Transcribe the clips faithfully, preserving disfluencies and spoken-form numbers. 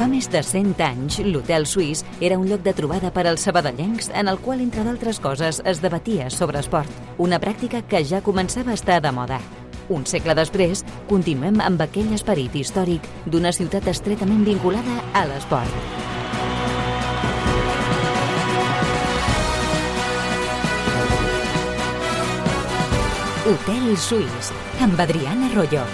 Fa més de cent anys, l'Hotel Suís era un lloc de trobada per als sabadellencs en el qual, entre d'altres coses, es debatia sobre esport, una pràctica que ja començava a estar de moda. Un segle després, continuem amb aquell esperit històric d'una ciutat estretament vinculada a l'esport. Hotel Suís, amb Adriana Royo.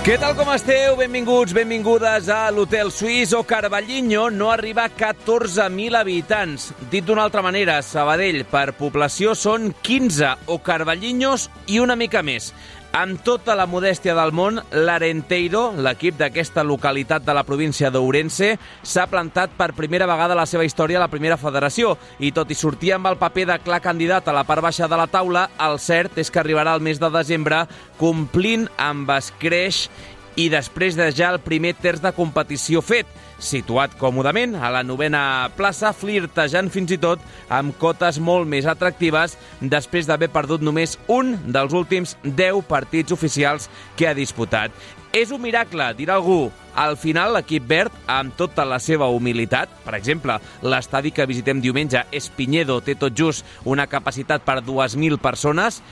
Què tal, com esteu? Benvinguts, benvingudes a l'Hotel Suís. O Carballiño no arriba a catorze mil habitants. Dit d'una altra manera, Sabadell per població són quinze o Carballiños i una mica més. Amb tota la modèstia del món, l'Arenteiro, l'equip d'aquesta localitat de la província d'Ourense, s'ha plantat per primera vegada a la seva història a la primera federació. I tot i sortir amb el paper de clar candidat a la part baixa de la taula, el cert és que arribarà al mes de desembre complint amb escreix i després de ja el primer terç de competició fet, situat còmodament a la novena plaça, flirtejant fins i tot amb cotes molt més atractives després d'haver perdut només un dels últims deu partits oficials que ha disputat. És un miracle, dirà algú. Al final, l'equip verd, amb tota la seva humilitat, per exemple, l'estadi que visitem diumenge, Espiñedo, té tot just una capacitat per dues mil persones,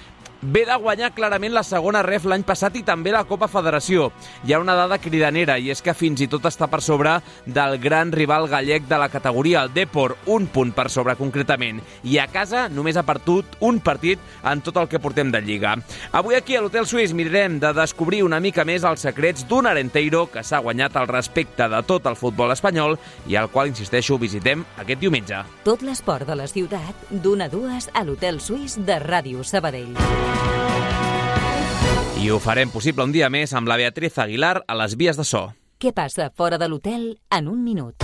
ve de guanyar clarament la segona ref l'any passat i també la Copa Federació. Hi ha una dada cridanera i és que fins i tot està per sobre del gran rival gallec de la categoria, el Depor, un punt per sobre concretament. I a casa només ha perdut un partit en tot el que portem de Lliga. Avui aquí a l'Hotel Suís mirarem de descobrir una mica més els secrets d'un Arenteiro que s'ha guanyat el respecte de tot el futbol espanyol i al qual, insisteixo, visitem aquest diumenge. Tot l'esport de la ciutat, d'una a dues a l'Hotel Suís de Ràdio Sabadell. I ho farem possible un dia més amb la Beatriz Aguilar a les vies de so. Què passa fora de l'hotel en un minut?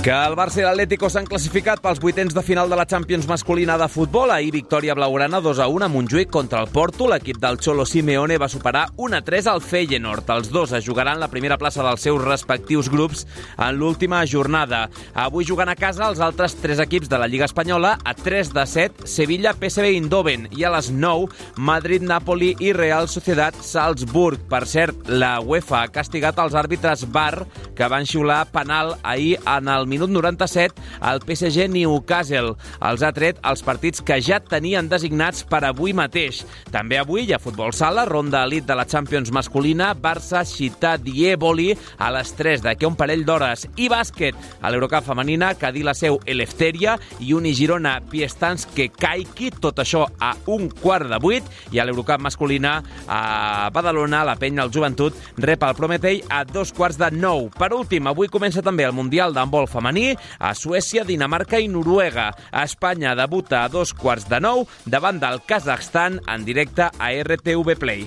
Que el Barça i l'Atlético s'han classificat pels vuitens de final de la Champions masculina de futbol. Ahir victòria blaugrana dos a un a Montjuïc contra el Porto. L'equip del Cholo Simeone va superar un a tres al Feyenoord. Els dos es jugaran la primera plaça dels seus respectius grups en l'última jornada. Avui jugant a casa els altres tres equips de la Lliga Espanyola. A tres de set, Sevilla, P S V Eindhoven. I a les nou, Madrid, Napoli i Real Sociedad Salzburg. Per cert, la UEFA ha castigat els àrbitres V A R que van xiular penal ahir en el minut noranta-set al P S G Newcastle. Els ha tret els partits que ja tenien designats per avui mateix. També avui hi ha futbol sala, ronda elit de la Champions masculina, Barça, Ciutat Dieboli a les tres d'aquí un parell d'hores. I bàsquet, a l'Eurocup femenina, Cadí la seu Eleftheria i Uni Girona Piestanske Kaiki, tot això a un quart de vuit. I a l'Eurocup masculina, a Badalona, la penya al Joventut rep el Prometei a dos quarts de nou. Per últim, avui comença també el Mundial d'handbol femení a Suècia, Dinamarca i Noruega. Espanya debuta a dos quarts de nou davant del Kazakhstan en directe a R T V Play.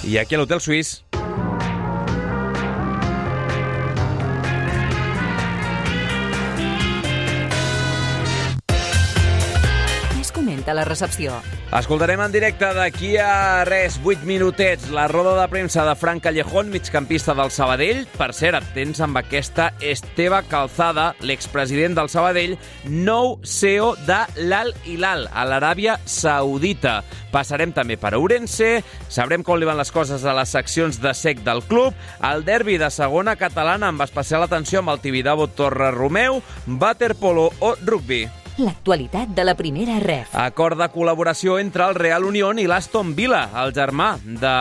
I aquí a l'Hotel Suís. Comenta la recepció. Escoltarem en directe d'aquí a res, vuit minutets, la roda de premsa de Fran Callejón, migcampista del Sabadell. Per cert, atents amb aquesta Esteve Calzada, l'expresident del Sabadell, nou C E O de l'Al Hilal, a l'Aràbia Saudita. Passarem també per Ourense, sabrem com li van les coses a les seccions de sec del club, el derbi de segona catalana amb especial atenció amb el Tibidabo Torre Romeu, waterpolo o rugby. L'actualitat de la primera ref. Acord de col·laboració entre el Real Unión i l'Aston Villa, el germà. De,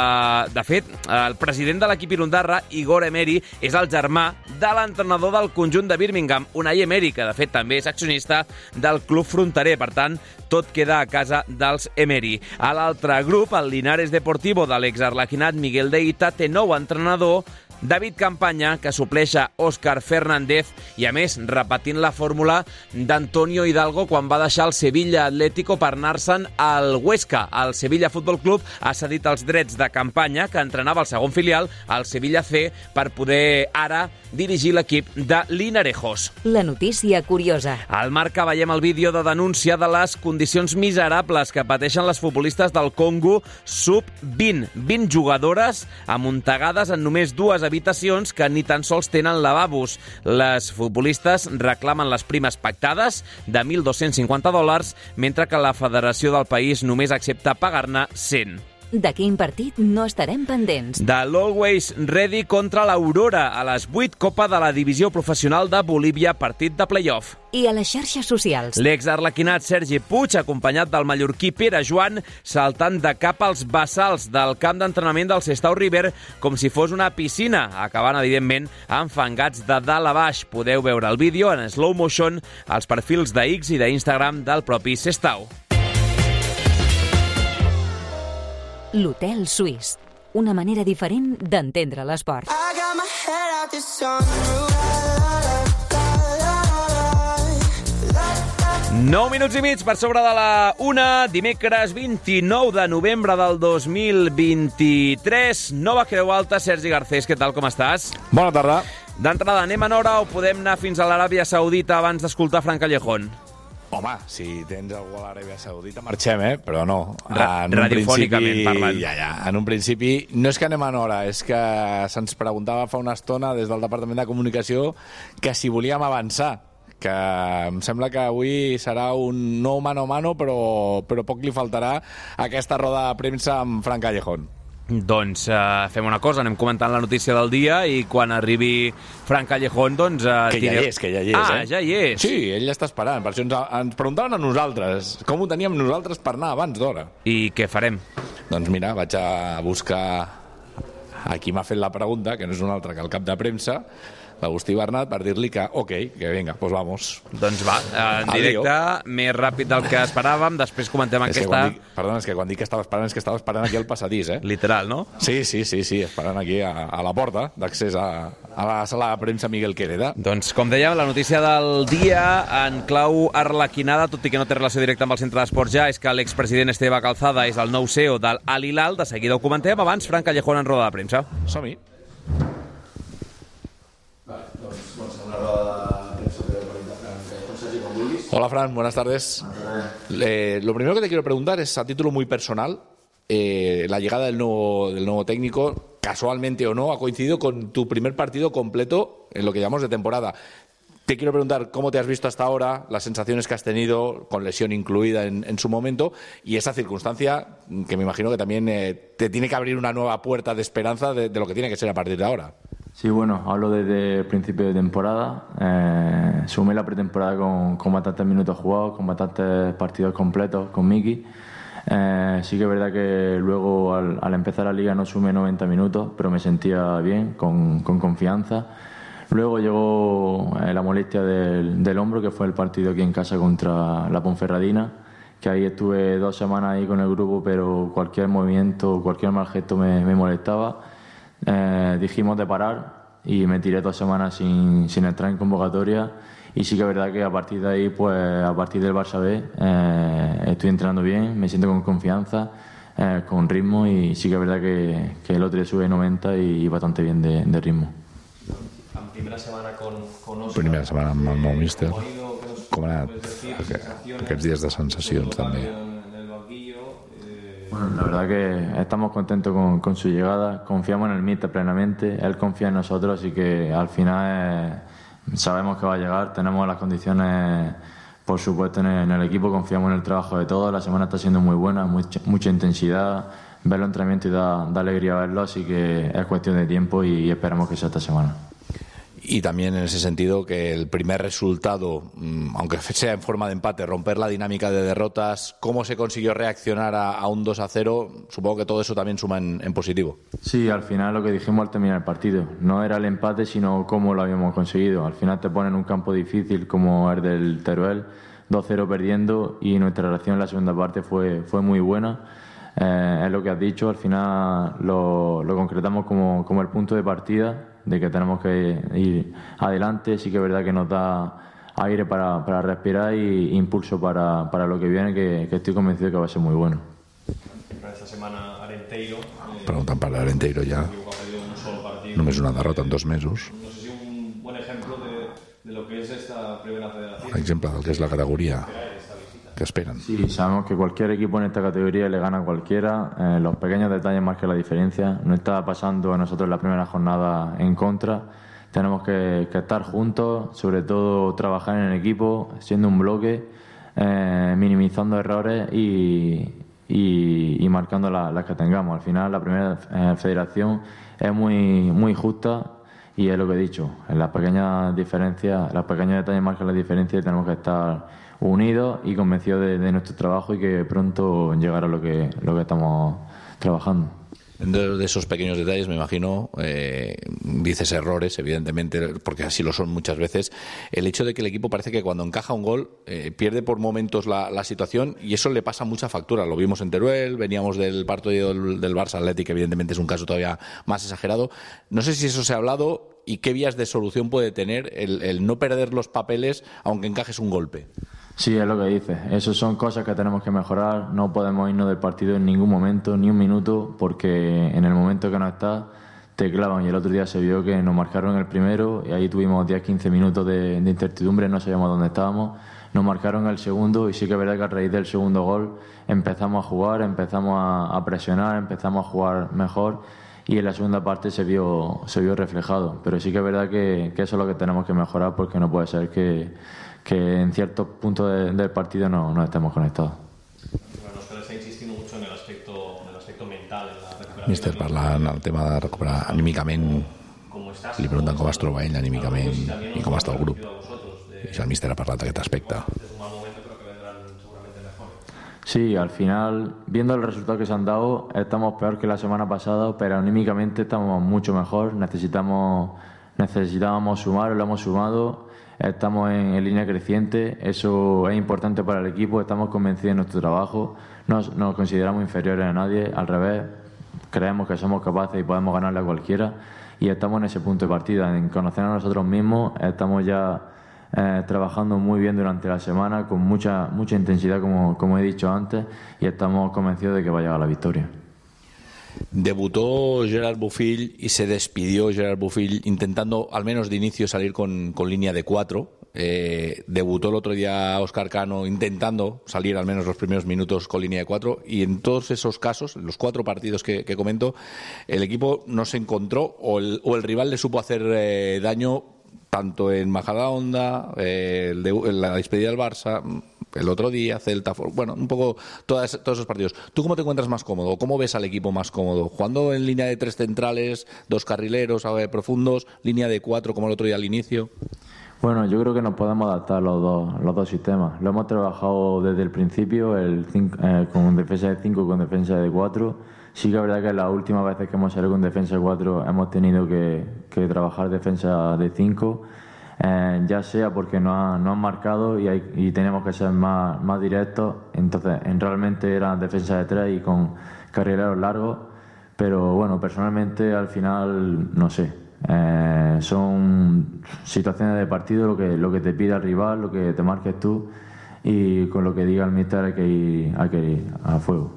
de fet, el president de l'equip irundarra, Igor Emery, és el germà de l'entrenador del conjunt de Birmingham, Unai Emery, que de fet també és accionista del club fronterer. Per tant, tot queda a casa dels Emery. A l'altre grup, el Linares Deportivo de l'exarlequinat Miguel Deita té nou entrenador, David Campanya, que supleix a Òscar Fernández i, a més, repetint la fórmula d'Antonio Hidalgo quan va deixar el Sevilla Atlético per anar-se'n al Huesca. El Sevilla Futbol Club ha cedit els drets de Campanya, que entrenava el segon filial, al Sevilla C, per poder ara dirigir l'equip de Linarejos. La notícia curiosa. Al Marca veiem el vídeo de denúncia de les condicions miserables que pateixen les futbolistes del Congo sub vint. vint jugadores amuntegades en només dues habitacions que ni tan sols tenen lavabos. Les futbolistes reclamen les primes pactades de mil dos-cents cinquanta dòlars, mentre que la federació del país només accepta pagar-ne cent. De quin partit no estarem pendents? De l'Always Ready contra l'Aurora a les vuit Copa de la Divisió Professional de Bolívia, partit de play-off. I a les xarxes socials. L'ex-arlequinat Sergi Puig, acompanyat del mallorquí Pere Joan, saltant de cap als bassals del camp d'entrenament del Sestao River com si fos una piscina, acabant, evidentment, enfangats de dalt a baix. Podeu veure el vídeo en slow motion als perfils de X i d'Instagram del propi Sestao. L'Hotel Suís. Una manera diferent d'entendre l'esport. nou minuts i mig per sobre de la una, dimecres vint-i-nou de novembre del dos mil vint-i-tres. Nova Creu Alta, Sergi Garcés, què tal, com estàs? Bona tarda. D'entrada, anem en hora o podem anar fins a l'Aràbia Saudita abans d'escoltar Fran Callejón? Home, si tens algú a l'Aràbia Saudita, marxem, eh? Però no. Ra radiofònicament parlant. Ja, ja. En un principi, no és que anem en hora, és que se'ns preguntava fa una estona des del Departament de Comunicació que si volíem avançar, que em sembla que avui serà un nou mano a mano, però, però poc li faltarà a aquesta roda de premsa amb Fran Callejón. Doncs uh, fem una cosa, anem comentant la notícia del dia i quan arribi Fran Callejón, doncs... Uh, que ja hi és, que ja hi és, ah, eh? ja hi és. Sí, ell ja està esperant. Per això ens, ens preguntaven a nosaltres com ho teníem nosaltres per anar abans d'hora. I què farem? Doncs mira, vaig a buscar a qui m'ha fet la pregunta, que no és un altre que el cap de premsa, l'Agustí Bernat, per dir-li que ok, que vinga, pues vamos. Doncs va, en directe, més ràpid del que esperàvem, després comentem és aquesta... Dic, perdona, és que quan dic que estava esperant és que estava esperant aquí al passadís, eh? Literal, no? Sí, sí, sí, sí, esperant aquí a, a la porta d'accés a, a la sala de premsa Miguel Quereda. Doncs, com dèiem, la notícia del dia en clau arlequinada, tot i que no té relació directa amb el centre d'esports ja, és que l'expresident Esteve Calzada és el nou C E O del Al Hilal. De seguida ho comentem, abans Fran Callejón en roda de premsa. Som-hi. Hola Fran, buenas tardes. Eh, lo primero que te quiero preguntar es a título muy personal, eh, la llegada del nuevo, del nuevo técnico, casualmente o no, ha coincidido con tu primer partido completo en lo que llamamos de temporada. Te quiero preguntar cómo te has visto hasta ahora, las sensaciones que has tenido, con lesión incluida en, en su momento, y esa circunstancia que me imagino que también eh, te tiene que abrir una nueva puerta de esperanza de, de lo que tiene que ser a partir de ahora. Sí, bueno, hablo desde el principio de temporada. Eh, sumé la pretemporada con, con bastantes minutos jugados, con bastantes partidos completos con Miki. Eh, sí que es verdad que luego al, al empezar la liga no sumé noventa minutos, pero me sentía bien, con, con confianza. Luego llegó eh, la molestia del, del hombro, que fue el partido aquí en casa contra la Ponferradina, que ahí estuve dos semanas ahí con el grupo, pero cualquier movimiento, cualquier mal gesto me, me molestaba. Eh, dijimos de parar y me tiré dos semanas sin, sin entrar en convocatoria, y sí que es verdad que a partir de ahí, pues a partir del Barça B, eh, estoy entrenando bien, me siento con confianza, eh, con ritmo, y sí que es verdad que, que el otro día sube noventa y bastante bien de, de ritmo. Primera setmana con, con Òscar. Primera setmana amb el nou míster. Com ha anat aquests dies de sensacions, també? Bueno, la verdad que estamos contentos con, con su llegada, confiamos en el míster plenamente, él confía en nosotros, así que al final eh, sabemos que va a llegar, tenemos las condiciones, por supuesto, en el, en el equipo, confiamos en el trabajo de todos, la semana está siendo muy buena, mucha, mucha intensidad, verlo en entrenamiento y da, da alegría verlo, así que es cuestión de tiempo y esperamos que sea esta semana. Y también en ese sentido que el primer resultado, aunque sea en forma de empate, romper la dinámica de derrotas, cómo se consiguió reaccionar a, a un dos a cero, supongo que todo eso también suma en, en positivo. Sí, al final lo que dijimos al terminar el partido, no era el empate, sino cómo lo habíamos conseguido. Al final te ponen un campo difícil como el del Teruel, dos cero perdiendo, y nuestra reacción en la segunda parte fue, fue muy buena. Eh, es lo que has dicho, al final lo, lo concretamos como, como el punto de partida, de que tenemos que ir adelante. Sí que es verdad que nos da aire para, para respirar y impulso para, para lo que viene, que, que estoy convencido que va a ser muy bueno. Para esta semana Arenteiro... Preguntant per Arenteiro ja. Només una derrota en dos mesos. No sé si un ejemplo de, de lo que es esta primera federación. Un ejemplo del que es la categoría que esperan. Sí, sabemos que cualquier equipo en esta categoría le gana a cualquiera. Eh, los pequeños detalles marcan la diferencia. No está pasando a nosotros la primera jornada en contra. Tenemos que, que estar juntos, sobre todo trabajar en equipo, siendo un bloque, eh, minimizando errores y, y, y marcando las la que tengamos. Al final, la primera eh, federación es muy, muy justa y es lo que he dicho. En las pequeñas diferencias, los pequeños detalles marcan la diferencia y tenemos que estar unidos y convencidos de, de nuestro trabajo y que pronto llegará lo que, lo que estamos trabajando. Dentro de esos pequeños detalles, me imagino, eh, dices errores, evidentemente, porque así lo son muchas veces, el hecho de que el equipo parece que cuando encaja un gol eh, pierde por momentos la, la situación y eso le pasa mucha factura. Lo vimos en Teruel, veníamos del partido del, del Barça Athletic, evidentemente es un caso todavía más exagerado. No sé si eso se ha hablado y qué vías de solución puede tener el, el no perder los papeles aunque encajes un golpe. Sí, es lo que dices. Esas son cosas que tenemos que mejorar. No podemos irnos del partido en ningún momento, ni un minuto, porque en el momento que no estás te clavan. Y el otro día se vio que nos marcaron el primero y ahí tuvimos diez a quince minutos de, de incertidumbre, no sabíamos dónde estábamos. Nos marcaron el segundo y sí que es verdad que a raíz del segundo gol empezamos a jugar, empezamos a, a presionar, empezamos a jugar mejor y en la segunda parte se vio, se vio reflejado. Pero sí que es verdad que, que eso es lo que tenemos que mejorar porque no puede ser que... que en ciertos puntos de, del partido no, no estemos conectados. Bueno, Òscar está insistindo mucho en el aspecto, en el aspecto mental, en la recuperació. Míster, parlant el tema de recuperar anímicament, li pregunten com es troba ell anímicament i com està el grup. I si el míster ha parlat d'aquest aspecte. Sí, al final, viendo el resultado que se han dado, estamos peor que la semana pasada, pero anímicamente estamos mucho mejor. Necesitamos, necesitábamos sumar, lo hemos sumado. Estamos en, en línea creciente, eso es importante para el equipo, estamos convencidos de nuestro trabajo, no nos consideramos inferiores a nadie, al revés, creemos que somos capaces y podemos ganarle a cualquiera y estamos en ese punto de partida, en conocer a nosotros mismos, estamos ya eh, trabajando muy bien durante la semana, con mucha, mucha intensidad como, como he dicho antes y estamos convencidos de que va a llegar la victoria. Debutó Gerard Bofill y se despidió Gerard Bofill intentando al menos de inicio salir con, con línea de cuatro. Eh, debutó el otro día Óscar Cano intentando salir al menos los primeros minutos con línea de cuatro y en todos esos casos, en los cuatro partidos que, que comento, el equipo no se encontró o el, o el rival le supo hacer eh, daño tanto en Majadahonda, eh, el de, la despedida del Barça, el otro día, Celta, bueno, un poco todas, todos esos partidos. ¿Tú cómo te encuentras más cómodo? ¿Cómo ves al equipo más cómodo? ¿Jugando en línea de tres centrales, dos carrileros eh, profundos, línea de cuatro como el otro día al inicio? Bueno, yo creo que nos podemos adaptar los dos, los dos sistemas. Lo hemos trabajado desde el principio, el cinco, eh, con defensa de cinco y con defensa de cuatro. Sí que es verdad que las últimas veces que hemos salido con defensa de cuatro hemos tenido que, que trabajar defensa de cinco. Eh, ya sea porque no, ha, no han marcado y, hay, y tenemos que ser más, más directos, entonces en realmente era defensa de tres y con carrileros largos, pero bueno, personalmente al final no sé, eh, son situaciones de partido, lo que, lo que te pide el rival, lo que te marques tú y con lo que diga el míster hay que ir, hay que ir a fuego.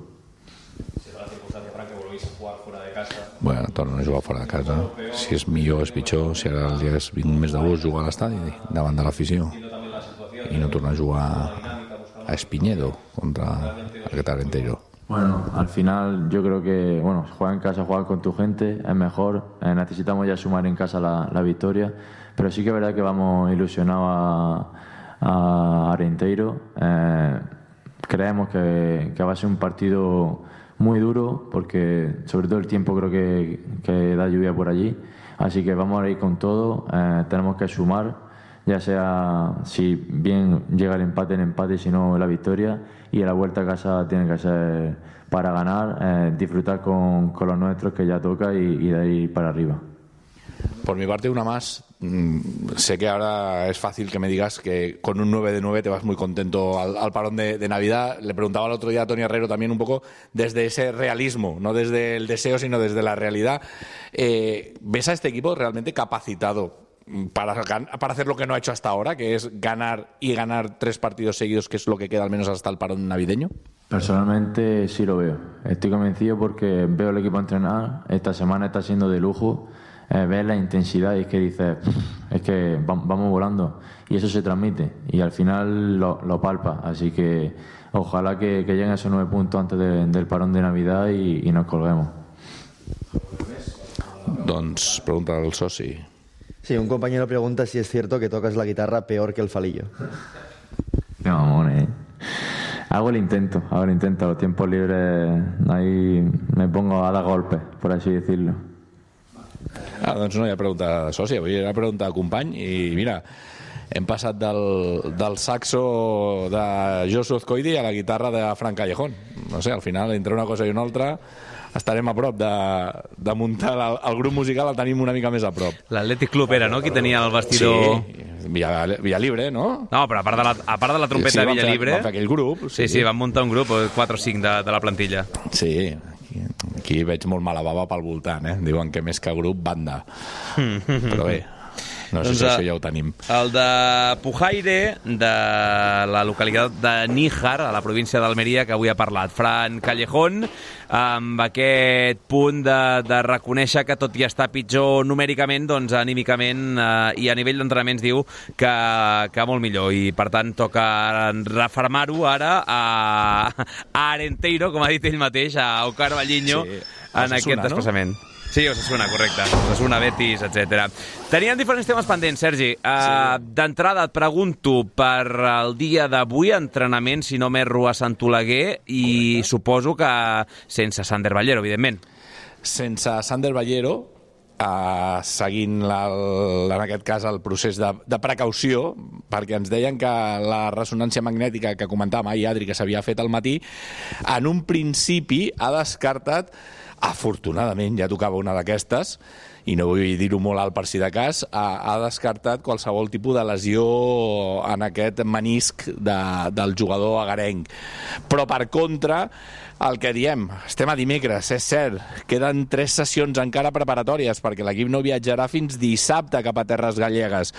Bueno, tornen a jugar fora de casa. Si és millor, és pitjor. Si ara el dia és vint mes d'agost, jugar a l'estadi davant de l'afició i no tornar a jugar a Espiñedo contra el Arenteiro. Bueno, al final yo creo que bueno, jugar en casa, jugar con tu gente es mejor. Eh, necesitamos ya sumar en casa la, la victoria, pero sí que es verdad que vamos ilusionados a, a Arenteiro. Eh, creemos que, que va a ser un partido muy duro porque sobre todo el tiempo creo que, que da lluvia por allí, así que vamos a ir con todo, eh, tenemos que sumar, ya sea si bien llega el empate, el empate, si no la victoria, y a la vuelta a casa tiene que ser para ganar, eh, disfrutar con, con los nuestros que ya toca y, y de ahí para arriba. Por mi parte, una más. Sé que ahora es fácil que me digas que con un nueve de nueve te vas muy contento al, al parón de, de Navidad. Le preguntaba el otro día a Toni Herrero también un poco desde ese realismo, no desde el deseo, sino desde la realidad. Eh, ¿Ves a este equipo realmente capacitado para, para hacer lo que no ha hecho hasta ahora, que es ganar y ganar tres partidos seguidos, que es lo que queda al menos hasta el parón navideño? Personalmente sí lo veo. Estoy convencido porque veo el equipo entrenar. Esta semana está siendo de lujo. eh, ves la intensidad y es que dices, es que vamos volando, y eso se transmite y al final lo, lo palpa, así que ojalá que, que lleguen esos nueve puntos antes de, del parón de Navidad y, y nos colguemos. Doncs pregunta al soci. Sí, un compañero pregunta si es cierto que tocas la guitarra peor que el Falillo. No, mamones. Hago el intento, hago el intento. A los tiempos libres ahí me pongo a dar golpes, por así decirlo. Ah, doncs no hi ha pregunta de soci, avui era pregunta de company i mira, hem passat del, del saxo de Josu Azcoidi a la guitarra de Fran Callejón. No sé, al final, entre una cosa i una altra, estarem a prop de, de muntar el, el grup musical, el tenim una mica més a prop. L'Atlètic Club era, no?, qui tenia el vestidor... Sí, Villa, Villa Libre, no? No, però a part de la, a part de la trompeta sí, de Villa fer, Libre... van fer aquell grup. Sí, sí, sí, van muntar un grup, quatre o cinc de, de la plantilla. Sí, aquí, aquí veig molt mala bava pel voltant, eh? Diuen que més que grup, banda. Però bé... No sé doncs, si això ja ho tenim. El de Pujaire, de la localitat de Níjar, a la província d'Almeria, que avui ha parlat. Fran Callejón, amb aquest punt de, de reconèixer que tot i estar pitjor numèricament, doncs anímicament eh, i a nivell d'entrenaments diu que, que molt millor. I per tant toca refermar-ho ara a, a Arenteiro, com ha dit ell mateix, a Òscar Vallinho, sí, en aquest desplaçament. No? Sí, Osasuna, correcte. Osasuna, Betis, etcètera. Teníem diferents temes pendents, Sergi. Uh, sí. D'entrada et pregunto per el dia d'avui, entrenament, si no m'erro, a Sant Oleguer, i correcte. Suposo que sense Sander Ballero, evidentment. Sense Sander Ballero, uh, seguint la, en aquest cas el procés de, de precaució, perquè ens deien que la ressonància magnètica que comentàvem ahir, Adri, que s'havia fet al matí, en un principi ha descartat, afortunadament, ja tocava una d'aquestes, i no vull dir-ho molt alt per si de cas, ha, ha descartat qualsevol tipus de lesió en aquest menisc de, del jugador agarenc. Però, per contra, el que diem, estem a dimecres, és cert, queden tres sessions encara preparatòries, perquè l'equip no viatjarà fins dissabte cap a terres gallegues.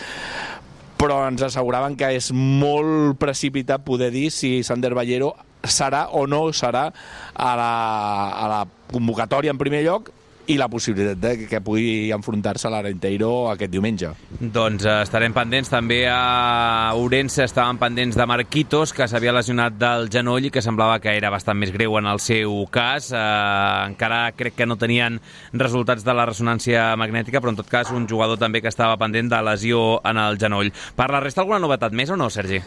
Però ens asseguraven que és molt precipitat poder dir si Sander Ballero serà o no serà a la, a la convocatòria en primer lloc i la possibilitat de que pugui enfrontar-se a l'Arenteiro aquest diumenge. Doncs eh, estarem pendents també a Ourense, estaven pendents de Marquitos, que s'havia lesionat del genoll i que semblava que era bastant més greu en el seu cas. Eh, encara crec que no tenien resultats de la ressonància magnètica, però en tot cas un jugador també que estava pendent de lesió en el genoll. Per la resta, alguna novetat més o no, Sergi?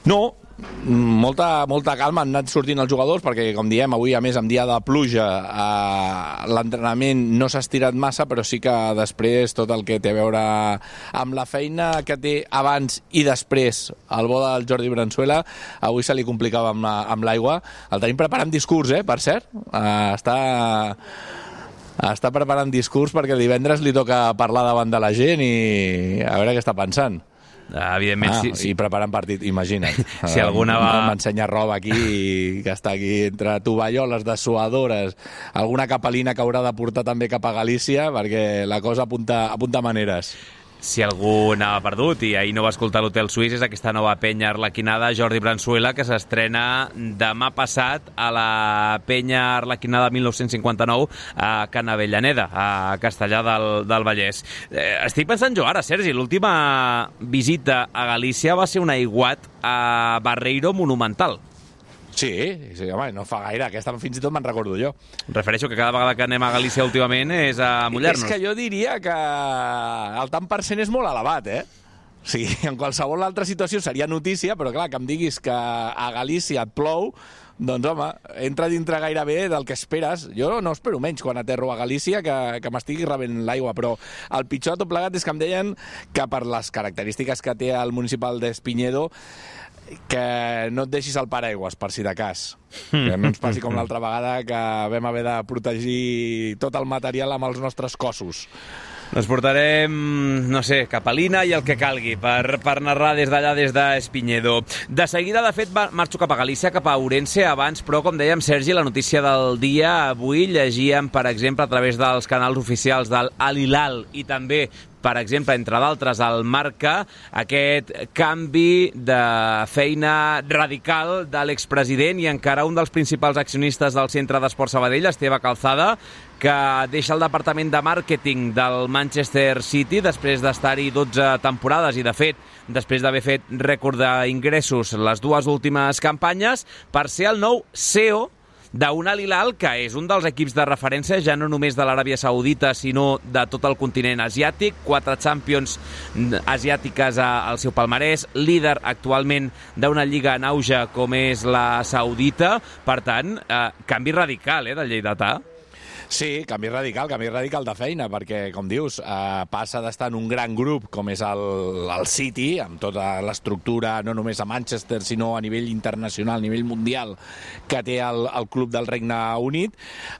No, molta, molta calma, han anat sortint els jugadors perquè, com diem, avui a més en dia de pluja eh, l'entrenament no s'ha estirat massa, però sí que després tot el que té a veure amb la feina que té abans i després el bo del Jordi Bransuela, avui se li complicava amb, la, amb l'aigua. El tenim preparant discurs, eh, per cert, eh, està... està preparant discurs perquè el divendres li toca parlar davant de la gent i a veure què està pensant. Evidentment, ah, sí, sí. I preparant partit, imagina't. Si alguna va... M'ensenya roba aquí, que està aquí entre tovalloles, dessuadores, alguna capelina que haurà de portar també cap a Galícia, perquè la cosa apunta, apunta maneres. Si algú n'ha perdut i ahir no va escoltar l'Hotel Suís, és aquesta nova penya arlequinada Jordi Bransuela, que s'estrena demà passat a la penya arlequinada mil nou-cents cinquanta-nou a Can Avellaneda, a Castellar del, del Vallès. Eh, estic pensant jo ara, Sergi, l'última visita a Galícia va ser un aiguat a Barreiro monumental. Sí, sí, home, no fa gaire. Aquesta fins i tot me'n recordo jo. Refereixo que cada vegada que anem a Galícia últimament és a mullar-nos. És que jo diria que el tant per cent és molt elevat, eh? O sigui, en qualsevol altra situació seria notícia, però clar, que em diguis que a Galícia et plou, doncs home, entra dintre gairebé del que esperes. Jo no espero menys quan aterro a Galícia que, que m'estigui rebent l'aigua, però el pitjor de tot plegat és que em deien que per les característiques que té el municipal d'Espinyedo que no et deixis el paraigües, per si de cas. Que no ens passi com l'altra vegada que vam haver de protegir tot el material amb els nostres cossos. Ens portarem, no sé, capelina i el que calgui per, per narrar des d'allà, des d'Espinyedo. De seguida, de fet, marxo cap a Galícia, cap a Ourense, abans, però, com dèiem, Sergi, la notícia del dia, avui llegíem, per exemple, a través dels canals oficials del Al Hilal i també, per exemple, entre d'altres, el Marca, aquest canvi de feina radical de l'expresident i encara un dels principals accionistes del Centre d'Esport Sabadell, Esteve Calzada, que deixa el departament de màrqueting del Manchester City després d'estar-hi dotze temporades i, de fet, després d'haver fet rècord d'ingressos les dues últimes campanyes, per ser el nou C E O d'un Al Hilal, que és un dels equips de referència ja no només de l'Aràbia Saudita, sinó de tot el continent asiàtic, quatre Champions asiàtiques al seu palmarès, líder actualment d'una lliga en auge com és la saudita. Per tant, eh, canvi radical eh, del lleidatà. Sí, canvi radical, canvi radical de feina, perquè, com dius, eh, passa d'estar en un gran grup com és el, el City, amb tota l'estructura, no només a Manchester, sinó a nivell internacional, a nivell mundial, que té el, el club del Regne Unit,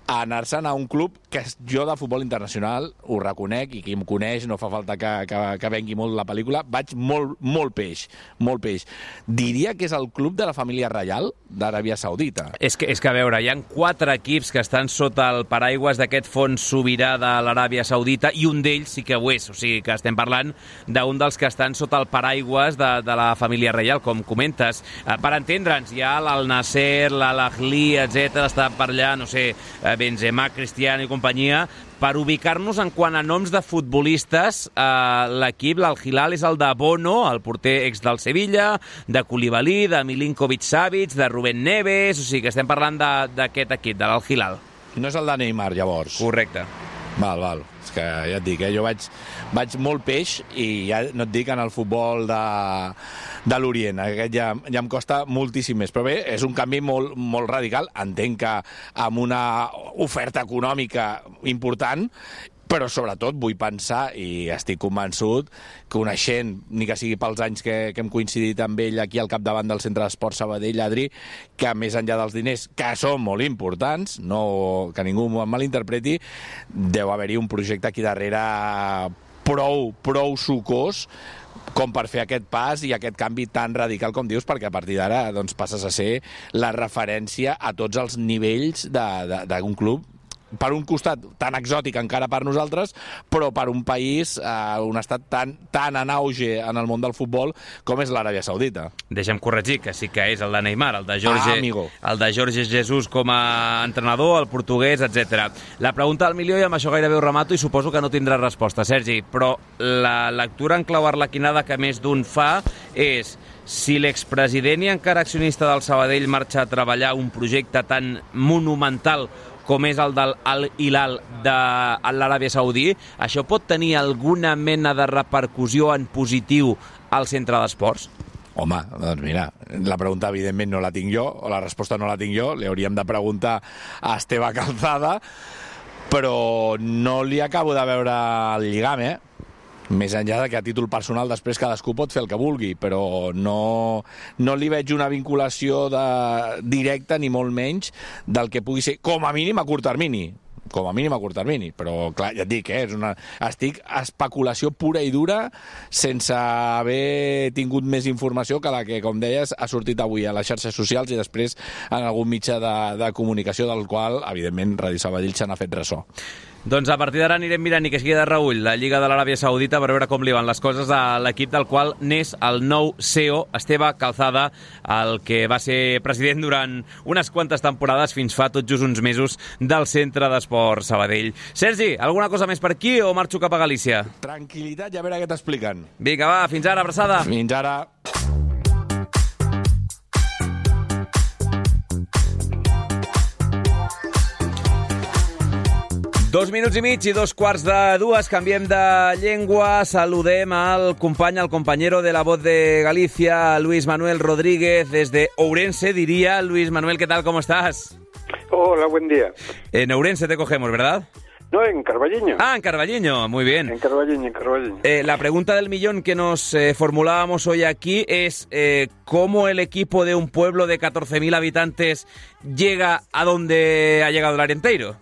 a anar-se'n a un club que jo de futbol internacional ho reconec, i qui em coneix no fa falta que, que, que vengui molt la pel·lícula, vaig molt, molt peix, molt peix. Diria que és el club de la família reial d'Aràbia Saudita. És que, és que, a veure, hi ha quatre equips que estan sota el paraigua d'aquest fons sobirà de l'Aràbia Saudita, i un d'ells sí que ho és, o sigui que estem parlant d'un dels que estan sota el paraigües de, de la família reial, com comentes. Eh, per entendre'ns, hi ha l'Al Nasser, l'Al-Ahli, etcètera, està per allà, no sé, Benzema, Cristiano i companyia. Per ubicar-nos en quant a noms de futbolistes, eh, l'equip, l'Al Hilal, és el de Bono, el porter ex del Sevilla, de Koulibaly, de Milinkovic-Savic, de Rubén Neves, o sigui que estem parlant d'aquest equip, de l'Al Hilal. No és el de Neymar, llavors? Correcte. Val, val. És que ja et dic, eh? jo vaig, vaig molt peix i ja no et dic en el futbol de, de l'Orient. Aquest ja, ja em costa moltíssim més. Però bé, és un canvi molt, molt radical. Entenc que amb una oferta econòmica important, però sobretot vull pensar, i estic convençut, coneixent, ni que sigui pels anys que, que hem coincidit amb ell aquí al capdavant del Centre d'Esport Sabadell, Adri, que més enllà dels diners, que són molt importants, no, que ningú em malinterpreti, deu haver-hi un projecte aquí darrere prou, prou sucós com per fer aquest pas i aquest canvi tan radical com dius, perquè a partir d'ara doncs, passes a ser la referència a tots els nivells d'un club, per un costat tan exòtic encara per nosaltres, però per un país, eh, un estat tan, tan en auge en el món del futbol com és l'Aràbia Saudita. Deixa'm corregir, que sí que és el de Neymar, el de Jorge, ah, amigo. el de Jorge Jesus com a entrenador, el portuguès, etcètera. La pregunta del milió, i amb això gairebé ho remato, i suposo que no tindrà resposta, Sergi, però la lectura en clau arlequinada que més d'un fa és: si l'expresident i encara accionista del Sabadell marxa a treballar un projecte tan monumental com és el del Al Hilal de l'Aràbia Saudí, això pot tenir alguna mena de repercussió en positiu al centre d'esports? Home, doncs mira, la pregunta evidentment no la tinc jo, o la resposta no la tinc jo, li hauríem de preguntar a Esteve Calzada, però no li acabo de veure el lligam, eh? Més enllà de que a títol personal després cadascú pot fer el que vulgui, però no, no li veig una vinculació de, directa, ni molt menys, del que pugui ser, com a mínim a curt termini. Com a mínim a curt termini, però clar, ja et dic, eh, és una, estic a especulació pura i dura sense haver tingut més informació que la que, com deies, ha sortit avui a les xarxes socials i després en algun mitjà de, de comunicació del qual, evidentment, Ràdio Sabadell se n'ha fet ressò. Doncs a partir d'ara anirem mirant, ni que sigui de reüll, la Lliga de l'Aràbia Saudita per veure com li van les coses a l'equip del qual n'és el nou C E O, Esteve Calzada, el que va ser president durant unes quantes temporades fins fa tot just uns mesos del Centre d'Esport Sabadell. Sergi, alguna cosa més per aquí o marxo cap a Galícia? Tranquil·litat i a veure què t'expliquen. Vinga, va, fins ara, abraçada. Fins ara. Dos minuts i mig i dos quarts de dues, canviem de llengua, saludem al company, al compañero de la Voz de Galicia, Luis Manuel Rodríguez, desde Ourense, diría. Luis Manuel, ¿qué tal? ¿Cómo estás? Hola, buen día. En Ourense te cogemos, ¿verdad? No, en Carballiño. Ah, en Carballiño, muy bien. En Carballiño, en Carballiño. Eh, la pregunta del millón que nos eh, formulábamos hoy aquí es eh, ¿cómo el equipo de un pueblo de catorce mil habitantes llega a donde ha llegado el Arenteiro?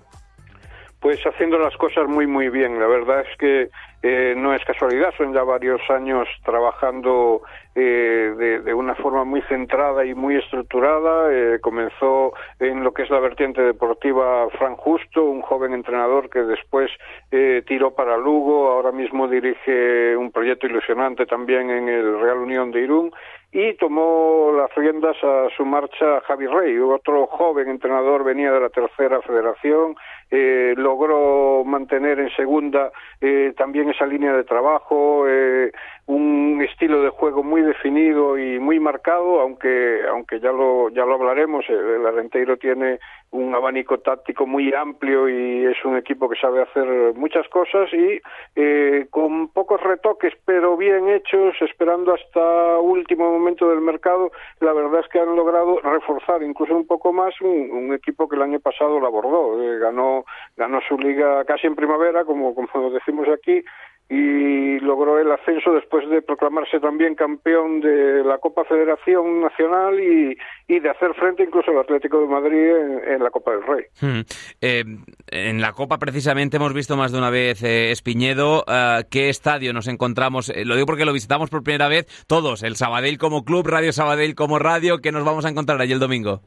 Pues haciendo las cosas muy, muy bien. La verdad es que eh, no es casualidad, son ya varios años trabajando eh, de, de una forma muy centrada y muy estructurada. Eh, comenzó en lo que es la vertiente deportiva Fran Justo, un joven entrenador que después eh, tiró para Lugo, ahora mismo dirige un proyecto ilusionante también en el Real Unión de Irún, y tomó las riendas a su marcha Javi Rey, otro joven entrenador, venía de la tercera federación, eh, logró mantener en segunda eh, también esa línea de trabajo, eh, un estilo de juego muy definido y muy marcado, aunque aunque ya lo ya lo hablaremos, el Arenteiro tiene un abanico táctico muy amplio y es un equipo que sabe hacer muchas cosas y eh, con pocos retoques pero bien hechos, esperando hasta último momento del mercado, la verdad es que han logrado reforzar incluso un poco más un, un equipo que el año pasado lo abordó, eh, ganó ganó su liga casi en primavera, como como decimos aquí, y logró el ascenso después de proclamarse también campeón de la Copa Federación Nacional y, y de hacer frente incluso al Atlético de Madrid en, en la Copa del Rey. Hmm. Eh, en la Copa precisamente hemos visto más de una vez eh, Espiñedo. Uh, ¿Qué estadio nos encontramos? Eh, lo digo porque lo visitamos por primera vez todos, el Sabadell como club, Radio Sabadell como radio. ¿Qué nos vamos a encontrar allí el domingo?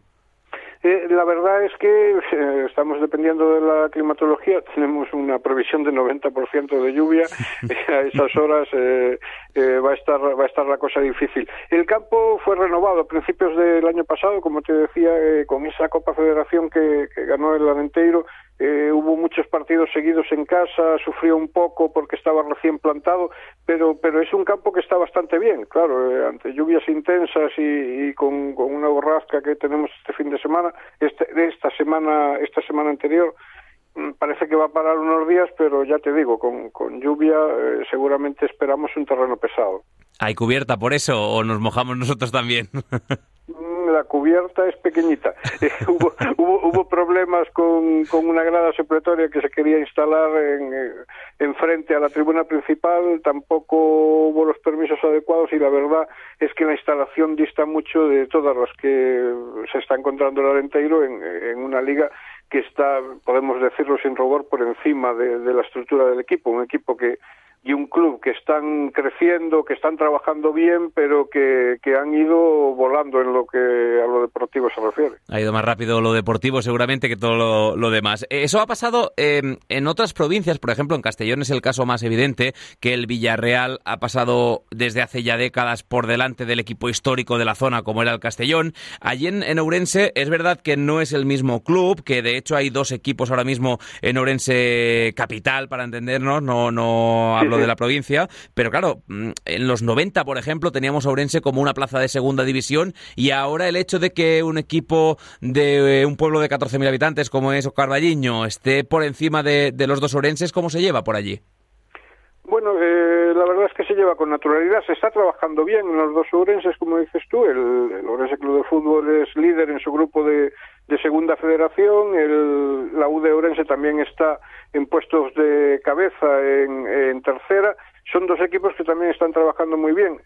Eh, la verdad es que eh, estamos dependiendo de la climatología, tenemos una previsión de noventa por ciento de lluvia, eh, a esas horas eh, eh, va a estar va a estar la cosa difícil. El campo fue renovado a principios del año pasado, como te decía, eh, con esa Copa Federación que, que ganó el Arenteiro. Eh, hubo muchos partidos seguidos en casa, sufrió un poco porque estaba recién plantado, pero pero es un campo que está bastante bien, claro, eh, ante lluvias intensas y, y con, con una borrasca que tenemos este fin de semana, este, esta semana esta semana anterior, parece que va a parar unos días, pero ya te digo, con, con lluvia eh, seguramente esperamos un terreno pesado. ¿Hay cubierta por eso o nos mojamos nosotros también? La cubierta es pequeñita. Eh, hubo, hubo, hubo problemas con, con una grada supletoria que se quería instalar en, en frente a la tribuna principal, tampoco hubo los permisos adecuados y la verdad es que la instalación dista mucho de todas las que se está encontrando el Arenteiro en, en una liga que está, podemos decirlo sin rubor, por encima de, de la estructura del equipo, un equipo que y un club que están creciendo, que están trabajando bien, pero que, que han ido volando en lo que a lo deportivo se refiere. Ha ido más rápido lo deportivo seguramente que todo lo, lo demás. Eso ha pasado eh, en otras provincias, por ejemplo en Castellón es el caso más evidente, que el Villarreal ha pasado desde hace ya décadas por delante del equipo histórico de la zona como era el Castellón. Allí en, en Ourense es verdad que no es el mismo club, que de hecho hay dos equipos ahora mismo en Ourense capital, para entendernos, no, no hablo de la provincia, pero claro, en los noventa, por ejemplo, teníamos a Ourense como una plaza de segunda división y ahora el hecho de que un equipo de un pueblo de catorce mil habitantes como es Carballiño esté por encima de, de los dos ourenses, ¿cómo se lleva por allí? Bueno, eh, la verdad es que se lleva con naturalidad, se está trabajando bien en los dos ourenses, como dices tú, el, el Ourense Club de Fútbol es líder en su grupo de, de segunda federación, el, la U de Ourense también está en puestos de cabeza en, en tercera. Son dos equipos que también están trabajando muy bien.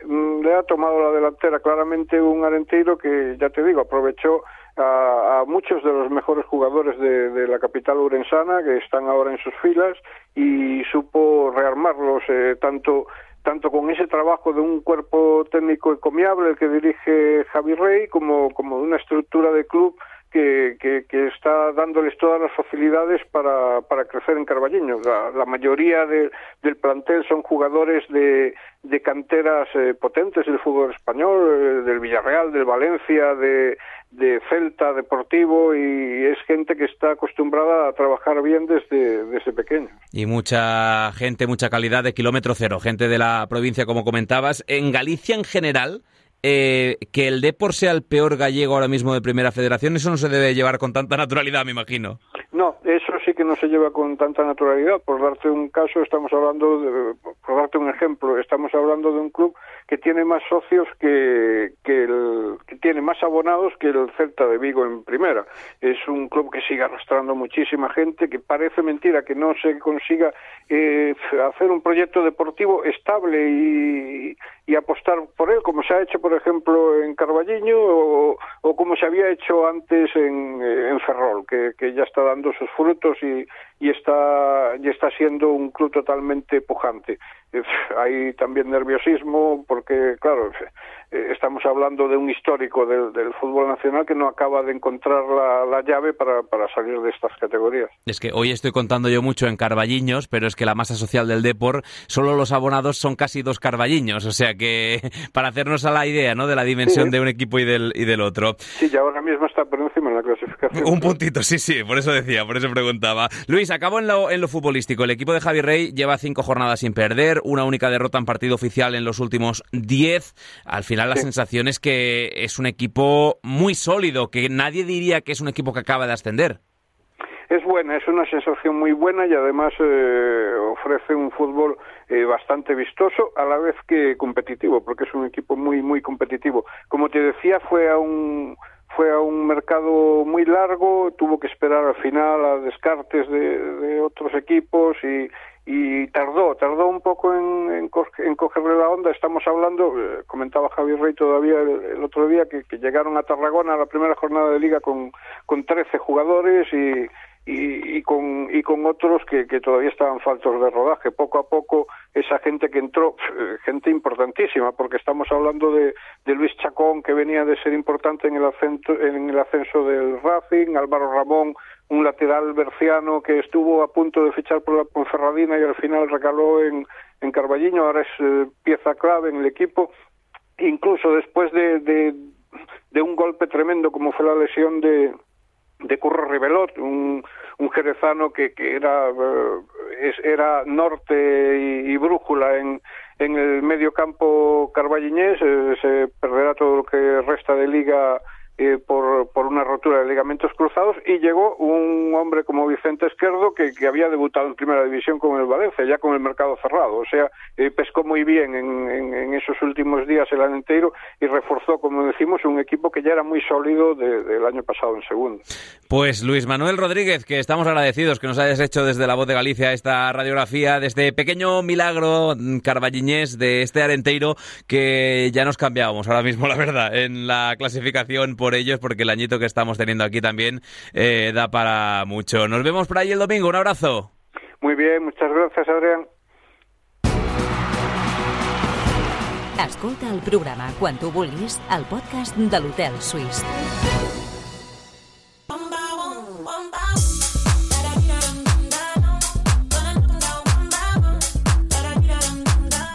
Le ha tomado la delantera claramente un Arenteiro que, ya te digo, aprovechó a, a muchos de los mejores jugadores de, de la capital ourensana que están ahora en sus filas y supo rearmarlos eh, tanto tanto con ese trabajo de un cuerpo técnico encomiable el que dirige Javi Rey como, como de una estructura de club Que, que, que está dándoles todas las facilidades para, para crecer en Carballiño. La, la mayoría de, del plantel son jugadores de, de canteras eh, potentes del fútbol español, eh, del Villarreal, del Valencia, de, de Celta, Deportivo, y es gente que está acostumbrada a trabajar bien desde, desde pequeño. Y mucha gente, mucha calidad de kilómetro cero, gente de la provincia, como comentabas. En Galicia en general, Eh, que el Depor sea el peor gallego ahora mismo de Primera Federación, eso no se debe llevar con tanta naturalidad, me imagino. No, eso sí que no se lleva con tanta naturalidad. Por darte un caso, estamos hablando, de, por darte un ejemplo, estamos hablando de un club que tiene más socios que, que, el, que tiene más abonados que el Celta de Vigo en Primera. Es un club que sigue arrastrando muchísima gente, que parece mentira que no se consiga eh, hacer un proyecto deportivo estable y, y apostar por él, como se ha hecho, por ejemplo, en Carballiño o, o como se había hecho antes en, en Ferrol, que, que ya está dando sus frutos y, y está y está siendo un club totalmente pujante. hay también nerviosismo porque, claro, estamos hablando de un histórico del, del fútbol nacional que no acaba de encontrar la, la llave para, para salir de estas categorías. Es que hoy estoy contando yo mucho en Carballiños, pero es que la masa social del Depor, solo los abonados son casi dos Carballiños, o sea que para hacernos a la idea, ¿no?, de la dimensión sí, de un equipo y del, y del otro. Sí, y ahora mismo está por encima en la clasificación. Un puntito, sí, sí, por eso decía, por eso preguntaba. Luis, acabo en lo, en lo futbolístico. El equipo de Javi Rey lleva cinco jornadas sin perder, una única derrota en partido oficial en los últimos diez. Al final la sí. sensación es que es un equipo muy sólido, que nadie diría que es un equipo que acaba de ascender. Es buena, es una sensación muy buena y además eh, ofrece un fútbol eh, bastante vistoso, a la vez que competitivo, porque es un equipo muy muy competitivo. Como te decía, fue a un fue a un mercado muy largo, tuvo que esperar al final a descartes de, de otros equipos y, y tardó, tardó un poco en, en, co en cogerle la onda. Estamos hablando, eh, comentaba Javi Rey todavía el, el otro día, que, que llegaron a Tarragona a la primera jornada de Liga con, con trece jugadores y Y, y con y con otros que, que todavía estaban faltos de rodaje. Poco a poco esa gente que entró, gente importantísima, porque estamos hablando de, de Luis Chacón, que venía de ser importante en el ascenso, en el ascenso del Racing, Álvaro Ramón, un lateral berciano que estuvo a punto de fichar por la Ponferradina y al final recaló en, en Carballiño, ahora es eh, pieza clave en el equipo. Incluso después de, de, de un golpe tremendo como fue la lesión de de Curro Ribelot, un, un jerezano que, que era uh, es, era norte y, y brújula en, en el medio campo carballiñés. Eh, se perderá todo lo que resta de liga eh, por, por una rotura de ligamentos cruzados, y llegó un hombre como Vicente Esquerdo que, que había debutado en Primera División con el Valencia, ya con el mercado cerrado, o sea, eh, pescó muy bien en, en, en esos últimos días el Arenteiro y reforzó, como decimos, un equipo que ya era muy sólido de, del año pasado en segunda. Pues Luis Manuel Rodríguez, que estamos agradecidos que nos hayas hecho desde La Voz de Galicia esta radiografía de este pequeño milagro carballiñés de este Arenteiro, que ya nos cambiábamos ahora mismo, la verdad, en la clasificación por ellos, porque el añito que estamos teniendo aquí también eh, da para mucho. Nos vemos por ahí el domingo, un abrazo. Muy bien, muchas gracias, Adrián. Escolta el programa quan tu vulguis al podcast de l'Hotel Suís.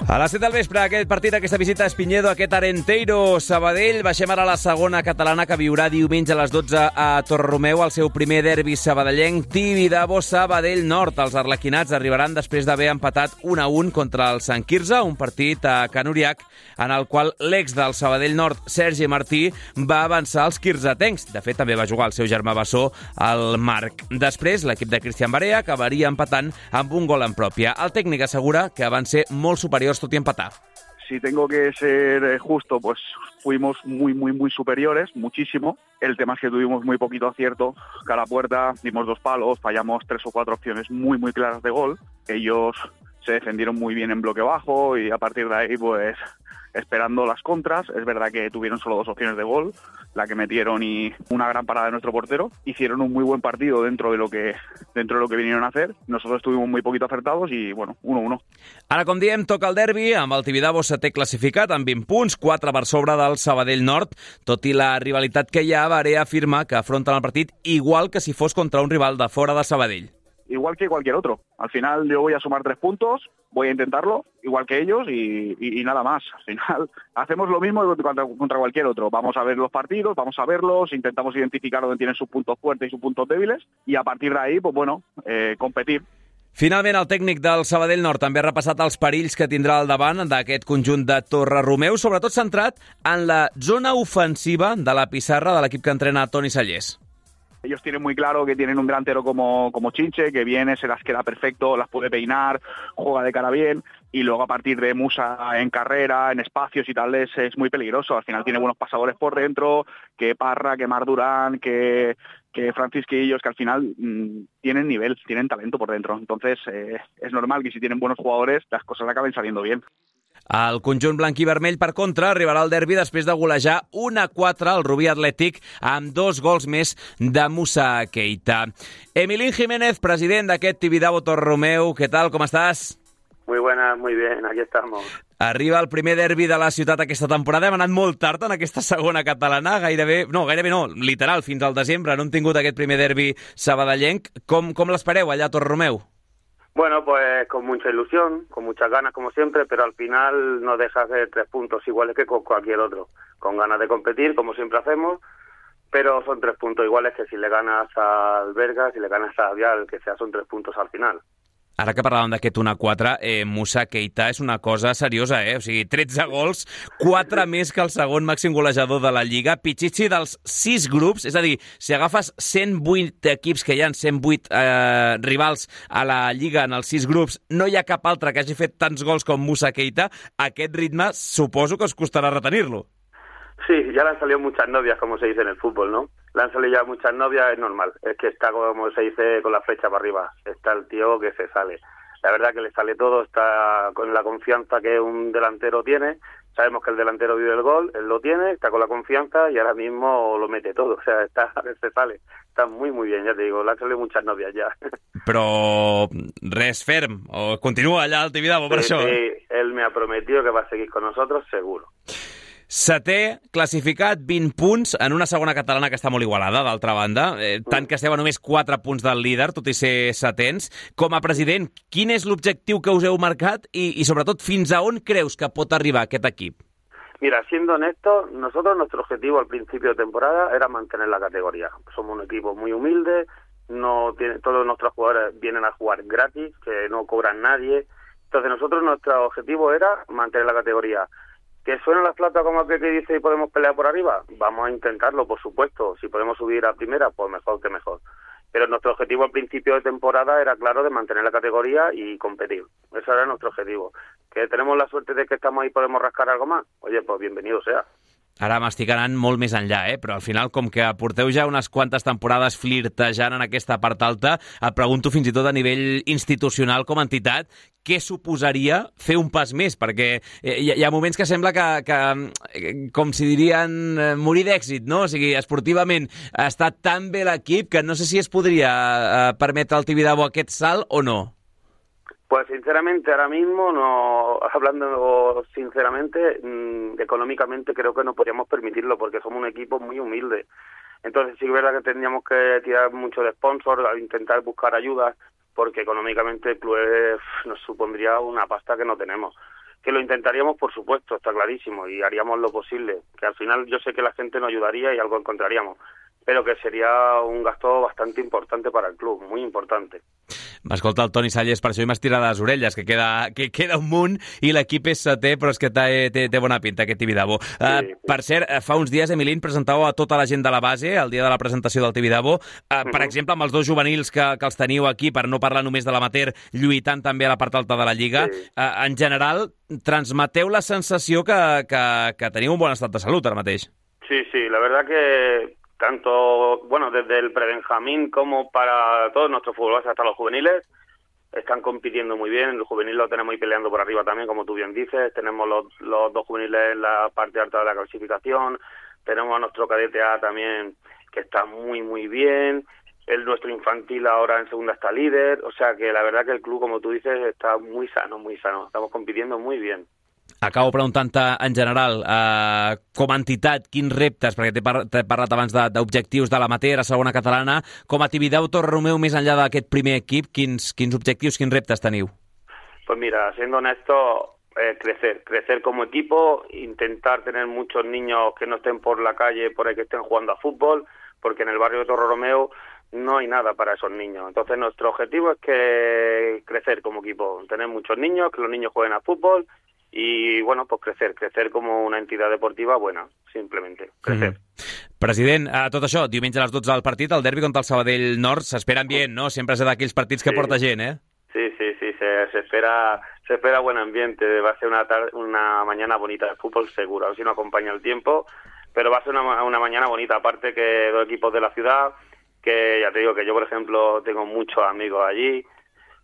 A les set del vespre, aquest partit, aquesta visita a Espinyedo, aquest Arenteiro Sabadell. Baixem ara a la segona catalana, que viurà diumenge a les dotze a Torreromeu el seu primer derbi sabadellenc. Tibidabo Sabadell Nord. Els arlequinats arribaran després d'haver empatat un a un contra el Sant Quirze, un partit a Can Uriac en el qual l'ex del Sabadell Nord, Sergi Martí, va avançar als quirzetencs. De fet, també va jugar el seu germà bessó, el Marc. Després, l'equip de Cristian Barea acabaria empatant amb un gol en pròpia. El tècnic assegura que van ser molt superiors tot i empatar. Si tengo que ser justo, pues fuimos muy, muy, muy superiores, muchísimo. El tema es que tuvimos muy poquito acierto cara a puerta, dimos dos palos, fallamos tres o cuatro opciones muy, muy claras de gol. Ellos se defendieron muy bien en bloque bajo y a partir de ahí, pues, esperando las contras. Es verdad que tuvieron solo dos opciones de gol, la que metieron y una gran parada de nuestro portero. Hicieron un muy buen partido dentro de lo que dentro de lo que vinieron a hacer. Nosotros estuvimos muy poquito acertados i, bueno, uno uno. Ara, com diem, toca el derbi, amb el Tibidabo setè classificat, amb vint punts, quatre per sobre del Sabadell Nord. Tot i la rivalitat que hi ha, Barea afirma que afronten el partit igual que si fos contra un rival de fora de Sabadell. Igual que cualquier otro. Al final yo voy a sumar tres puntos, voy a intentarlo, igual que ellos, y, y, y nada más. Al final hacemos lo mismo contra, contra cualquier otro. Vamos a ver los partidos, vamos a verlos, intentamos identificar dónde tienen sus puntos fuertes y sus puntos débiles, y a partir de ahí, pues bueno, eh, competir. Finalment, el tècnic del Sabadell Nord també ha repassat els perills que tindrà al davant d'aquest conjunt de Torreromeu, sobretot centrat en la zona ofensiva de la pissarra de l'equip que entrena Toni Sallés. Ellos tienen muy claro que tienen un delantero como, como Chinche, que viene, se las queda perfecto, las puede peinar, juega de cara bien, y luego a partir de Musa en carrera, en espacios y tal, es, es muy peligroso. Al final tiene buenos pasadores por dentro, que Parra, que Mar Durán, que, que Francisquillos, que al final mmm, tienen nivel, tienen talento por dentro. Entonces eh, es normal que si tienen buenos jugadores, las cosas acaben saliendo bien. El conjunt blanc i vermell, per contra, arribarà al derbi després de golejar un a quatre al Rubí Atlètic amb dos gols més de Musa Keita. Emilín Jiménez, president d'aquest Tibidabo Torreromeu, què tal, com estàs? Muy buenas, muy bien, aquí estamos. Arriba el primer derbi de la ciutat aquesta temporada. Hem anat molt tard en aquesta segona catalana, gairebé, no, gairebé no, literal, fins al desembre. No hem tingut aquest primer derbi sabadellenc. Com, com l'espereu allà a Torrenomeu? Bueno, pues con mucha ilusión, con muchas ganas como siempre, pero al final no dejas de tres puntos iguales que con cualquier otro. Con ganas de competir, como siempre hacemos, pero son tres puntos iguales que si le ganas al Berga, si le ganas a Vial, que sea, son tres puntos al final. Ara que parlàvem d'aquest un a quatre, eh, Moussa Keita és una cosa seriosa, eh? O sigui, tretze gols, quatre més que el segon màxim golejador de la Lliga. Pichichi dels sis grups, és a dir, si agafes cent vuit equips que hi ha, cent vuit eh, rivals a la Lliga en els sis grups, no hi ha cap altre que hagi fet tants gols com Moussa Keita. Aquest ritme suposo que us costarà retenir-lo. Sí, ya le han salido muchas novias, como se dice en el fútbol, ¿no? Le han salido ya muchas novias, es normal. Es que está, como se dice, con la flecha para arriba. Está el tío que se sale. La verdad que le sale todo, está con la confianza que un delantero tiene. Sabemos que el delantero vive el gol, él lo tiene, está con la confianza y ahora mismo lo mete todo. O sea, está, se sale. Está muy, muy bien, ya te digo. Le han salido muchas novias ya. Però res ferm, o continua allà al Tibidabo per sí, això? Sí, él me ha prometido que va a seguir con nosotros, seguro. Setè, classificat, vint punts, en una segona catalana que està molt igualada, d'altra banda, eh, tant que esteu a només quatre punts del líder, tot i ser setens. Com a president, quin és l'objectiu que us heu marcat i, i sobretot, fins a on creus que pot arribar aquest equip? Mira, siendo honesto, nosotros nuestro objetivo al principio de temporada era mantener la categoría. Somos un equipo muy humilde, no tiene, todos nuestros jugadores vienen a jugar gratis, que no cobran nadie. Entonces nosotros nuestro objetivo era mantener la categoría. ¿Que suena la flauta como aquel que dice y podemos pelear por arriba? Vamos a intentarlo, por supuesto. Si podemos subir a primera, pues mejor que mejor. Pero nuestro objetivo al principio de temporada era, claro, de mantener la categoría y competir. Ese era nuestro objetivo. ¿Que tenemos la suerte de que estamos ahí y podemos rascar algo más? Oye, pues bienvenido sea. Ara m'estic anant molt més enllà, eh? Però al final, com que porteu ja unes quantes temporades flirtejant en aquesta part alta, et pregunto fins i tot a nivell institucional com a entitat, què suposaria fer un pas més? Perquè hi ha moments que sembla que, que com si dirien, morir d'èxit, no? O sigui, esportivament està tan bé l'equip que no sé si es podria permetre al Tibidabo aquest salt o no. Pues sinceramente ahora mismo, no hablando sinceramente, mmm, económicamente creo que no podríamos permitirlo porque somos un equipo muy humilde. Entonces sí es verdad que tendríamos que tirar mucho de sponsor, intentar buscar ayudas, porque económicamente el club es, nos supondría una pasta que no tenemos. Que lo intentaríamos, por supuesto, está clarísimo, y haríamos lo posible. Que al final yo sé que la gente nos ayudaría y algo encontraríamos, pero que sería un gasto bastante importante para el club, muy importante. M'escolta el Toni Salles, per això hi m'estira les orelles, que queda, que queda un munt i l'equip és setè, però és que té, té, té bona pinta aquest Tibidabo. Sí, uh, sí. Per cert, fa uns dies, Emilín, presentàveu a tota la gent de la base, el dia de la presentació del Tibidabo, uh, uh-huh. per exemple, amb els dos juvenils que, que els teniu aquí, per no parlar només de l'amateur, lluitant també a la part alta de la Lliga. Sí. Uh, en general, transmeteu la sensació que, que, que teniu un bon estat de salut ara mateix. Sí, sí, la verdad que tanto, bueno, desde el prebenjamín como para todos nuestros futbolistas hasta los juveniles, están compitiendo muy bien. El juvenil lo tenemos ahí peleando por arriba también, como tú bien dices. Tenemos los, los dos juveniles en la parte alta de la clasificación. Tenemos a nuestro cadete A también, que está muy, muy bien. El nuestro infantil ahora en segunda está líder. O sea que la verdad que el club, como tú dices, está muy sano, muy sano. Estamos compitiendo muy bien. Acabo preguntant-te, en general, eh, com a entitat, quins reptes, perquè t'he par parlat abans d'objectius de, de l'amateur a segona catalana, com a Tibidabo Torrenomeu, més enllà d'aquest primer equip, quins, quins objectius, quins reptes teniu? Pues mira, siendo honesto, eh, crecer, crecer como equipo, intentar tener muchos niños que no estén por la calle, por ahí que estén jugando a fútbol, porque en el barrio de Torrenomeu no hay nada para esos niños. Entonces nuestro objetivo es que crecer como equipo, tener muchos niños, que los niños jueguen a fútbol, i, bueno, pues crecer, crecer com una entitat deportiva buena, simplement, crecer. Mm. President, a tot això, diumenge a les dotze del partit, el derbi contra el Sabadell Nord, s'espera ambient, ¿no? Sempre és d'aquells partits que sí. porta gent, ¿eh? Sí, sí, sí, se, se, espera, se espera buen ambiente, va a ser una, tarde, una mañana bonita de fútbol seguro, a ver si no acompaña el tiempo, pero va a ser una, una mañana bonita, aparte que dos equipos de la ciudad, que ya te digo que yo, por ejemplo, tengo muchos amigos allí,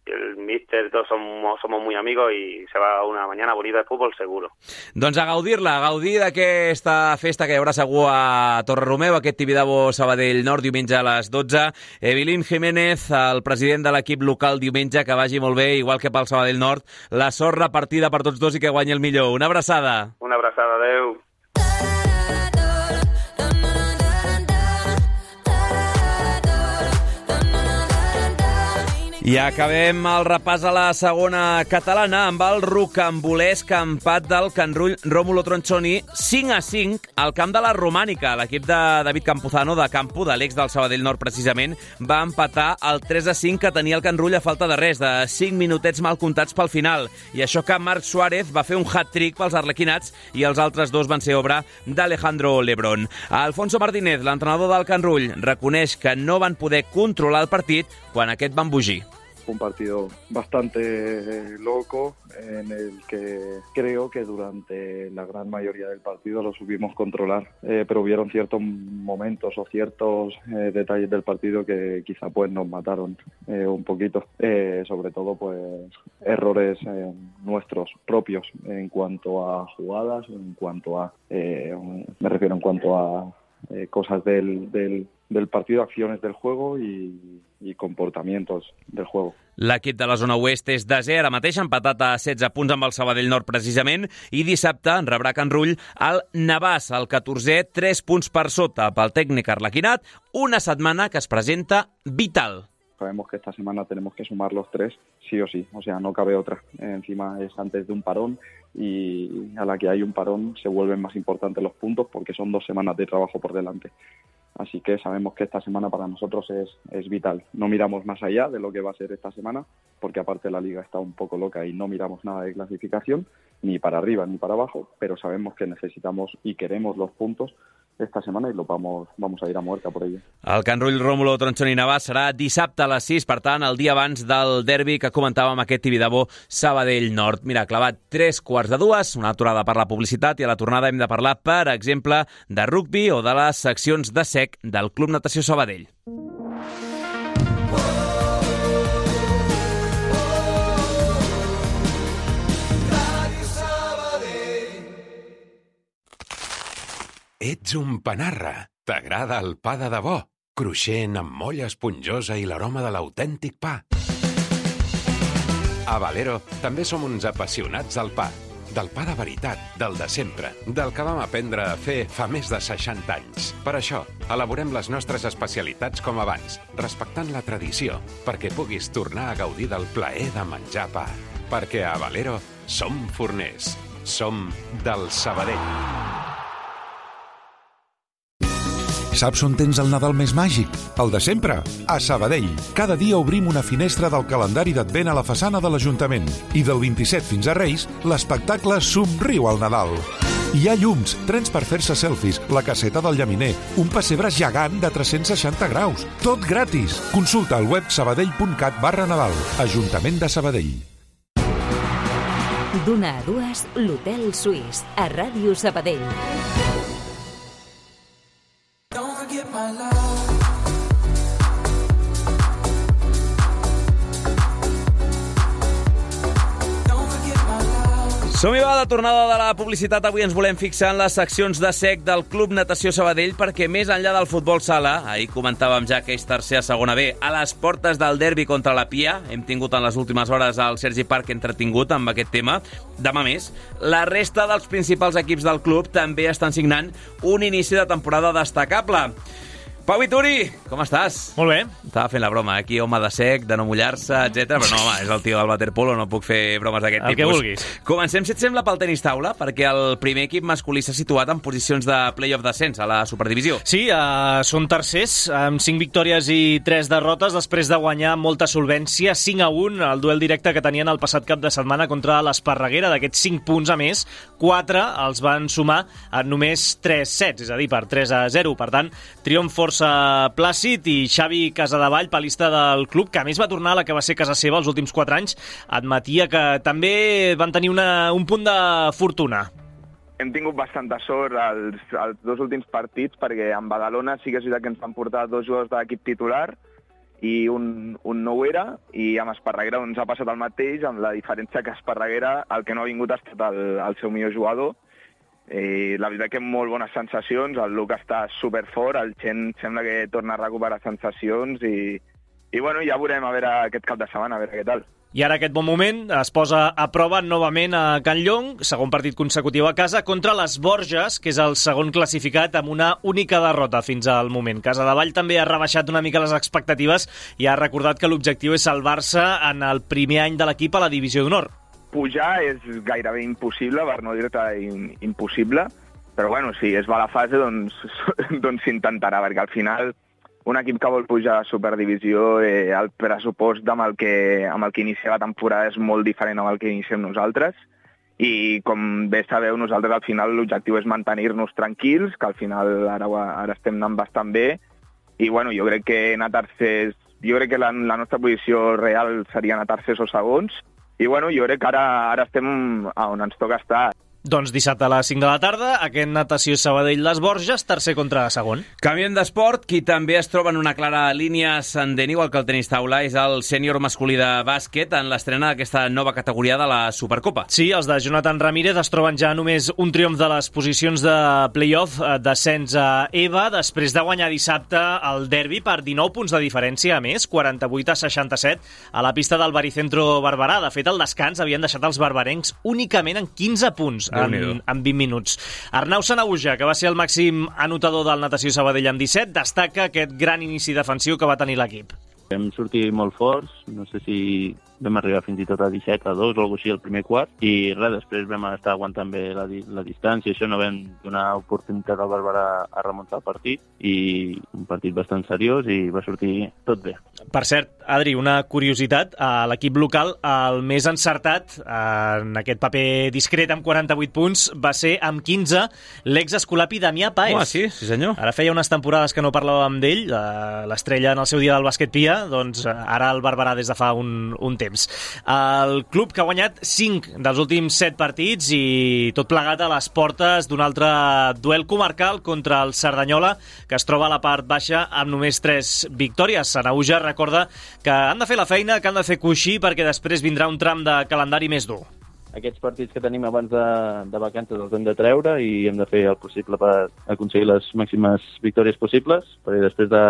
el míster, todos somos, somos muy amigos y se va una mañana bonita de fútbol seguro. Doncs a gaudir-la, a gaudir d'aquesta festa que hi haurà segur a Torre-Romeu, aquest Tibidabo Sabadell Nord, diumenge a les dotze. Evelyn Jiménez, el president de l'equip local, diumenge, que vagi molt bé, igual que pel Sabadell Nord. La sort repartida per tots dos i que guanyi el millor. Una abraçada. Una abraçada, adeu. I acabem el repàs a la segona catalana amb el rocambolesc empat del Can Rull Rómulo Tronchoni cinc a cinc al camp de la Romànica. L'equip de David Campuzano, de Campo, de l'ex del Sabadell Nord precisament, va empatar el tres a cinc que tenia el Can Rull a falta de res, de cinc minutets mal comptats pel final. I això que Marc Suárez va fer un hat-trick pels arlequinats i els altres dos van ser obra d'Alejandro Lebrón. Alfonso Martínez, l'entrenador del Can Rull, reconeix que no van poder controlar el partit quan aquest va embogir. Fue un partido bastante loco en el que creo que durante la gran mayoría del partido lo supimos controlar, eh, pero hubieron ciertos momentos o ciertos eh, detalles del partido que quizá pues nos mataron eh, un poquito, eh, sobre todo pues errores eh, nuestros propios en cuanto a jugadas, en cuanto a, eh, me refiero en cuanto a eh, cosas del, del, del partido, acciones del juego y i comportamientos del juego. L'equip de la zona oest és desè, ara mateix empatat a setze punts amb el Sabadell Nord precisament, i dissabte rebrà Can Rull el Navàs, el catorzè, tres punts per sota pel tècnic arlequinat, una setmana que es presenta vital. Sabemos que esta semana tenemos que sumar los tres, sí o sí, o sea, no cabe otra. Encima es antes de un parón y a la que hay un parón se vuelven más importantes los puntos porque son dos semanas de trabajo por delante. Así que sabemos que esta semana para nosotros es, es vital. No miramos más allá de lo que va a ser esta semana, porque aparte la liga está un poco loca y no miramos nada de clasificación, ni para arriba ni para abajo, pero sabemos que necesitamos y queremos los puntos esta setmana i lo vamos, vamos a ir a muerta por ello. El Can Rull Rómulo Tronchoni Navàs serà dissabte a les sis, per tant, el dia abans del derbi que comentàvem, aquest Tibidabo Sabadell Nord. Mira, clavat tres quarts de dues, una aturada per la publicitat, i a la tornada hem de parlar, per exemple, de rugbi o de les seccions de sec del Club Natació Sabadell. Ets un panarra. T'agrada el pa de debò, cruixent amb molla esponjosa i l'aroma de l'autèntic pa. A Valero també som uns apassionats del pa. Del pa de veritat, del de sempre, del que vam aprendre a fer fa més de seixanta anys. Per això, elaborem les nostres especialitats com abans, respectant la tradició, perquè puguis tornar a gaudir del plaer de menjar pa. Perquè a Valero som forners, som del Sabadell. Saps on tens el Nadal més màgic? El de sempre, a Sabadell. Cada dia obrim una finestra del calendari d'Advent a la façana de l'Ajuntament. I del vint-i-set fins a Reis, l'espectacle Somriu al Nadal. Hi ha llums, trens per fer-se selfies, la caseta del llaminer, un pessebre gegant de tres-cents seixanta graus. Tot gratis! Consulta al web sabadell.cat barra Nadal. Ajuntament de Sabadell. D'una a dues, l'Hotel Suís, a Ràdio Sabadell. Don't forget my love. Som-hi, va, de tornada de la publicitat. Avui ens volem fixar en les seccions de sec del Club Natació Sabadell, perquè més enllà del futbol sala, ahir comentàvem ja que és tercer a segona B, a les portes del derbi contra la Pia, hem tingut en les últimes hores el Sergi Parc entretingut amb aquest tema. Demà més, la resta dels principals equips del club també estan signant un inici de temporada destacable. Pau Vituri, com estàs? Molt bé. Estava fent la broma, aquí home de sec, de no mullar-se, etcètera. Però no, home, és el tio del waterpolo, no puc fer bromes d'aquest tipus. El que vulguis. Comencem, si et sembla, pel tenis taula, perquè el primer equip masculí s'ha situat en posicions de play-off d'ascens a la Superdivisió. Sí, uh, són tercers, amb cinc victòries i tres derrotes, després de guanyar molta solvència, cinc a un, el duel directe que tenien el passat cap de setmana contra l'Esparreguera. D'aquests cinc punts, a més, quatre els van sumar en només tres sets, és a dir, per tres a zero. Per tant, triomf força plàcid, i Xavi Casadevall, palista del club, que a més va tornar a la que va ser casa seva els últims quatre anys, admetia que també van tenir una, un punt de fortuna. Hem tingut bastanta sort als, als dos últims partits, perquè en Badalona sí que és veritat que ens van portar dos jugadors de l'equip titular i un, un no ho era, i amb Esparreguera doncs, ha passat el mateix, amb la diferència que Esparreguera el que no ha vingut ha estat el, el seu millor jugador. I la veritat que molt bones sensacions, el Luca està superfort, el Chen sembla que torna a recuperar sensacions i, i bueno, ja veurem a veure aquest cap de setmana, a veure què tal. I ara aquest bon moment es posa a prova novament a Can Llong, segon partit consecutiu a casa, contra les Borges, que és el segon classificat amb una única derrota fins al moment. Casadevall també ha rebaixat una mica les expectatives i ha recordat que l'objectiu és salvar-se en el primer any de l'equip a la divisió d'honor. Pujar és gairebé impossible, per no dir-te impossible, però bueno, si es va a la fase, doncs, doncs s'intentarà, perquè al final un equip que vol pujar a Superdivisió, eh, el pressupost amb el, que, amb el que inicia la temporada és molt diferent amb el que iniciem nosaltres, i com bé sabeu, nosaltres al final l'objectiu és mantenir-nos tranquils, que al final ara, ara estem anant bastant bé, i bueno, jo crec que anar tercers, jo crec que la, la nostra posició real seria anar tercers o segons, i bueno, jo crec que ara, ara estem on ens toca estar. Doncs dissabte a les cinc de la tarda, aquest Natació Sabadell-Les Borges, tercer contra segon. Canviem d'esport, qui també es troba en una clara línia ascendent, igual que el tenis taula, és el sènior masculí de bàsquet en l'estrena d'aquesta nova categoria de la Supercopa. Sí, els de Jonathan Ramírez es troben ja només un triomf de les posicions de play-off, descens a EVA, després de guanyar dissabte el derbi per dinou punts de diferència, a més, quaranta-vuit a seixanta-set, a la pista del Baricentro Barberà. De fet, al descans havien deixat els barbarencs únicament en quinze punts. En, en vint minuts. Arnau Sanaüja, que va ser el màxim anotador del Natació Sabadell amb disset, destaca aquest gran inici defensiu que va tenir l'equip. Vam sortir molt forts, no sé si vam arribar fins i tot a disset a dos o alguna cosa així el primer quart, i res, després vam estar aguantant bé la, la distància, això no vam donar oportunitat al Barberà a remuntar el partit, i un partit bastant seriós i va sortir tot bé. Per cert, Adri, una curiositat, a l'equip local el més encertat en aquest paper discret amb quaranta-vuit punts va ser amb quinze l'ex-escolapi Damià Paez. Oh, sí, sí senyor. Ara feia unes temporades que no parlàvem d'ell, l'estrella en el seu dia del bàsquet Pia, doncs ara el Barberà des de fa un, un temps. El club que ha guanyat cinc dels últims set partits i tot plegat a les portes d'un altre duel comarcal contra el Cerdanyola, que es troba a la part baixa amb només tres victòries. Sanaüja recorda que han de fer la feina, que han de fer coixí, perquè després vindrà un tram de calendari més dur. Aquests partits que tenim abans de, de vacances els hem de treure i hem de fer el possible per aconseguir les màximes victòries possibles, perquè després de,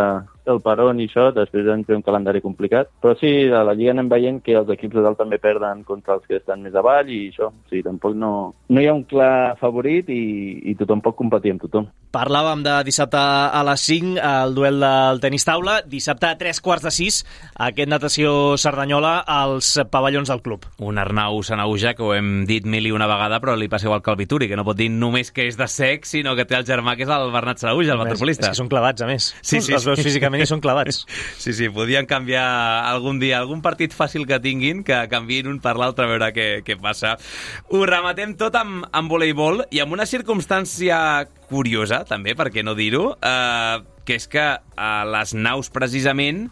del Perón i això, després hem fet un calendari complicat. Però sí, a la Lliga anem veient que els equips de dalt també perden contra els que estan més avall i això, o sigui, tampoc no, no hi ha un clar favorit i, i tothom pot competir amb tothom. Parlàvem de dissabte a les cinc, el duel del tenis taula, dissabte a tres quarts de sis, aquest Natació Cerdanyola als pavellons del club. Un Arnau Sanaüja que ho hem dit mil i una vegada, però li passa igual que el Vituri, que no pot dir només que és de sec, sinó que té el germà que és el Bernat Sanaüja, el waterpolista. És que són clavats, a més. Sí, sí, els veus sí. físicament i són clavats. Sí, sí, podien canviar algun dia, algun partit fàcil que tinguin, que canviïn un per l'altre a veure què, què passa. Ho rematem tot amb, amb voleibol i amb una circumstància curiosa, també, per què no dir-ho, eh, que és que a les naus, precisament,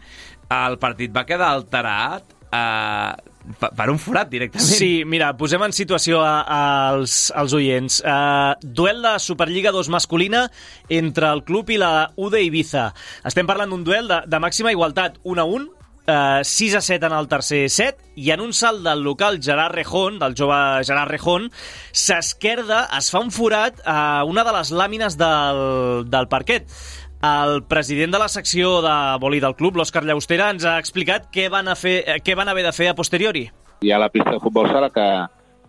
el partit va quedar alterat eh, per un forat, directament. Sí, mira, posem en situació a, a, als, als oients. Uh, duel de Superliga dos masculina entre el club i la U de Ibiza. Estem parlant d'un duel de, de màxima igualtat, un a un, uh, sis a set en el tercer set, i en un salt del local Gerard Rejón, del jove Gerard Rejón, s'esquerda, es fa un forat a una de les làmines del, del parquet. El president de la secció de voli del club, l'Òscar Llaustera, ens ha explicat què van, a fer, què van haver de fer a posteriori. Hi ha la pista de futbol sala que,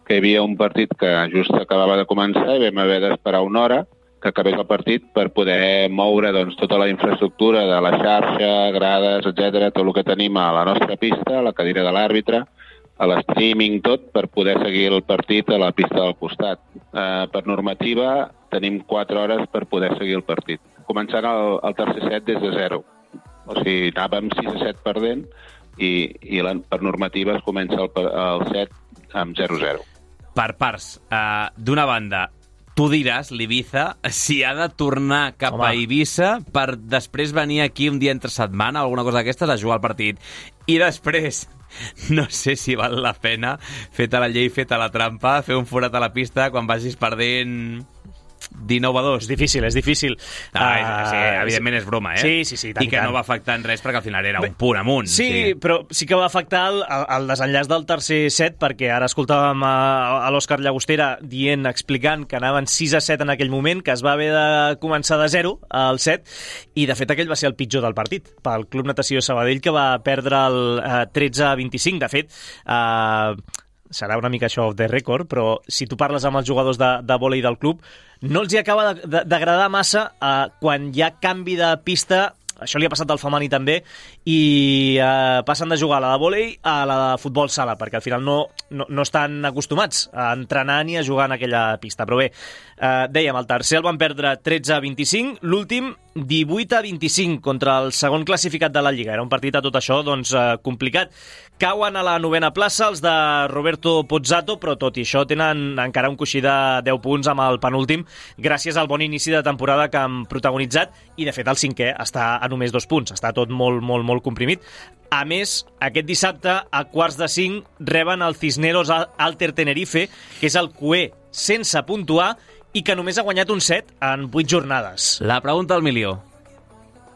que hi havia un partit que just acabava de començar i vam haver d'esperar una hora que acabés el partit per poder moure doncs, tota la infraestructura de la xarxa, grades, etcètera, tot el que tenim a la nostra pista, a la cadira de l'àrbitre, a l'streaming, tot, per poder seguir el partit a la pista del costat. Eh, per normativa, tenim quatre hores per poder seguir el partit. Començant el, el tercer set des de zero. O sigui, anàvem sis a set perdent i, i la, per normativa es comença el, el set amb zero a zero. Per parts, uh, d'una banda, tu diràs, l'Ibiza, si ha de tornar cap Home. a Eivissa per després venir aquí un dia entre setmana, alguna cosa d'aquestes, a jugar al partit. I després, no sé si val la pena, feta la llei, feta la trampa, fer un forat a la pista quan vagis perdent dinou a dos. És difícil, és difícil. No, uh, sí, evidentment és broma, eh? Sí, sí, sí. Tant, I que tant. no va afectar en res perquè al final era un punt amunt. Sí, sí. però sí que va afectar el, el desenllaç del tercer set, perquè ara escoltàvem a, a l'Òscar Llagostera dient, explicant que anaven sis a set en aquell moment, que es va haver de començar de zero al set, i de fet aquell va ser el pitjor del partit pel Club Natació Sabadell, que va perdre el eh, tretze a vint-i-cinc. De fet, eh, serà una mica això off the record, però si tu parles amb els jugadors de, de vòlei del club, no els hi acaba d'agradar massa eh, quan hi ha canvi de pista. Això li ha passat al femení també, i eh, passen de jugar a la de vòlei a la de futbol sala, perquè al final no, no, no estan acostumats a entrenar ni a jugar en aquella pista. Però bé, eh, dèiem, el tercer el van perdre tretze a vint-i-cinc, l'últim divuit a vint-i-cinc contra el segon classificat de la Lliga. Era un partit a tot això doncs, eh, complicat. Cauen a la novena plaça els de Roberto Pozzato, però tot i això tenen encara un coixí de deu punts amb el penúltim, gràcies al bon inici de temporada que han protagonitzat, i de fet el cinquè està a només dos punts, està tot molt, molt, molt comprimit. A més, aquest dissabte, a quarts de cinc, reben el Cisneros Alter Tenerife, que és el cué sense puntuar i que només ha guanyat un set en vuit jornades. La pregunta del milió.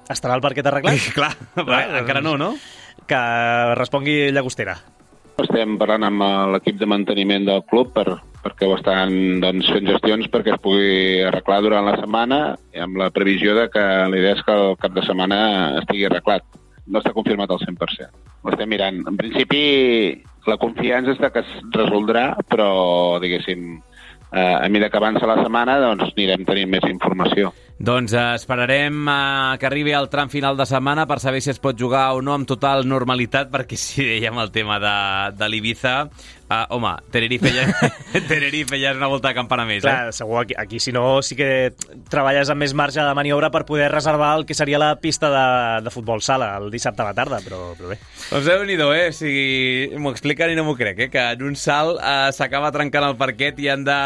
Estarà el parquet arreglat? Clar, clar, encara no, no? Que respongui Llagostera. Estem parlant amb l'equip de manteniment del club per, perquè ho estan doncs, fent gestions perquè es pugui arreglar durant la setmana, i amb la previsió de que la idea és que el cap de setmana estigui arreglat. No està confirmat al cent per cent. Ho estem mirant. En principi, la confiança és que es resoldrà, però, diguéssim, eh, a mesura que avança la setmana, doncs anirem tenint més informació. Doncs eh, esperarem eh, que arribi al tram final de setmana per saber si es pot jugar o no amb total normalitat, perquè si dèiem el tema de, de l'Ibiza, eh, home, Tenerife ja, Tenerife ja és una volta de campana més. Clar, eh? segur, aquí, aquí si no sí que treballes amb més marge de maniobra per poder reservar el que seria la pista de, de futbol sala el dissabte a la tarda, però, però bé. Doncs déu-n'hi-do, eh? O sigui, m'ho expliquen i no m'ho crec, eh? Que en un salt eh, s'acaba trencant el parquet i han de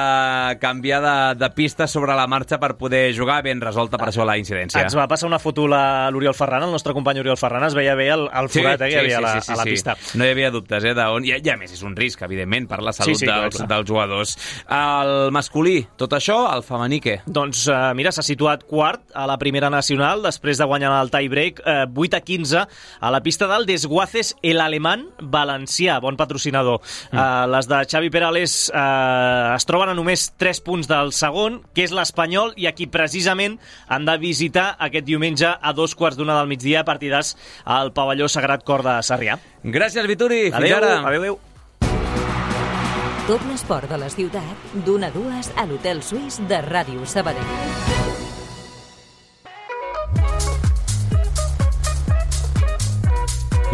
canviar de, de pista sobre la marxa per poder jugar. Ben resolta per això la incidència. Ens va passar una foto a l'Oriol Ferran, el nostre company Oriol Ferran, es veia bé el, el forat sí, eh, que hi havia sí, sí, a, la, sí, a la pista. Sí. No hi havia dubtes, eh, d'on... I, I a més és un risc, evidentment, per la salut sí, sí, dels, clar, clar. dels jugadors. El masculí, tot això, el femení què? Doncs uh, mira, s'ha situat quart a la primera nacional, després de guanyar el tie-break, uh, vuit a quinze, a la pista del Desguaces, el alemany valencià, bon patrocinador. Mm. Uh, les de Xavi Perales uh, es troben a només tres punts del segon, que és l'Espanyol, i aquí precisament han de visitar aquest diumenge a dos quarts d'una del migdia, partidars al pavelló Sagrat Cor de Sarrià. Gràcies, Vituri. Fins adeu, ara. Adéu, adéu. Tot l'esport de la ciutat, d'una a dues a l'Hotel Suís de Ràdio Sabadell.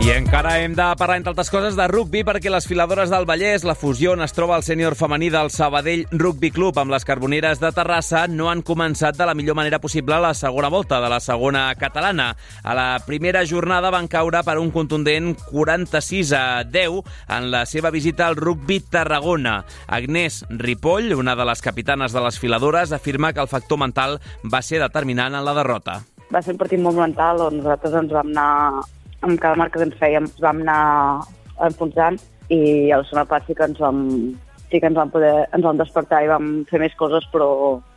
I encara hem de parlar, entre altres coses, de rugbi, perquè les filadores del Vallès, la fusió on es troba el sènior femení del Sabadell Rugby Club amb les Carboneres de Terrassa, no han començat de la millor manera possible la segona volta de la segona catalana. A la primera jornada van caure per un contundent quaranta-sis a deu en la seva visita al Rugby Tarragona. Agnès Ripoll, una de les capitanes de les filadores, afirma que el factor mental va ser determinant en la derrota. Va ser un partit molt mental on nosaltres ens vam anar, amb cada marca que ens fèiem, ens vam anar enfonsant, i a la segona part sí que ens vam, sí que ens vam poder, ens vam despertar i vam fer més coses, però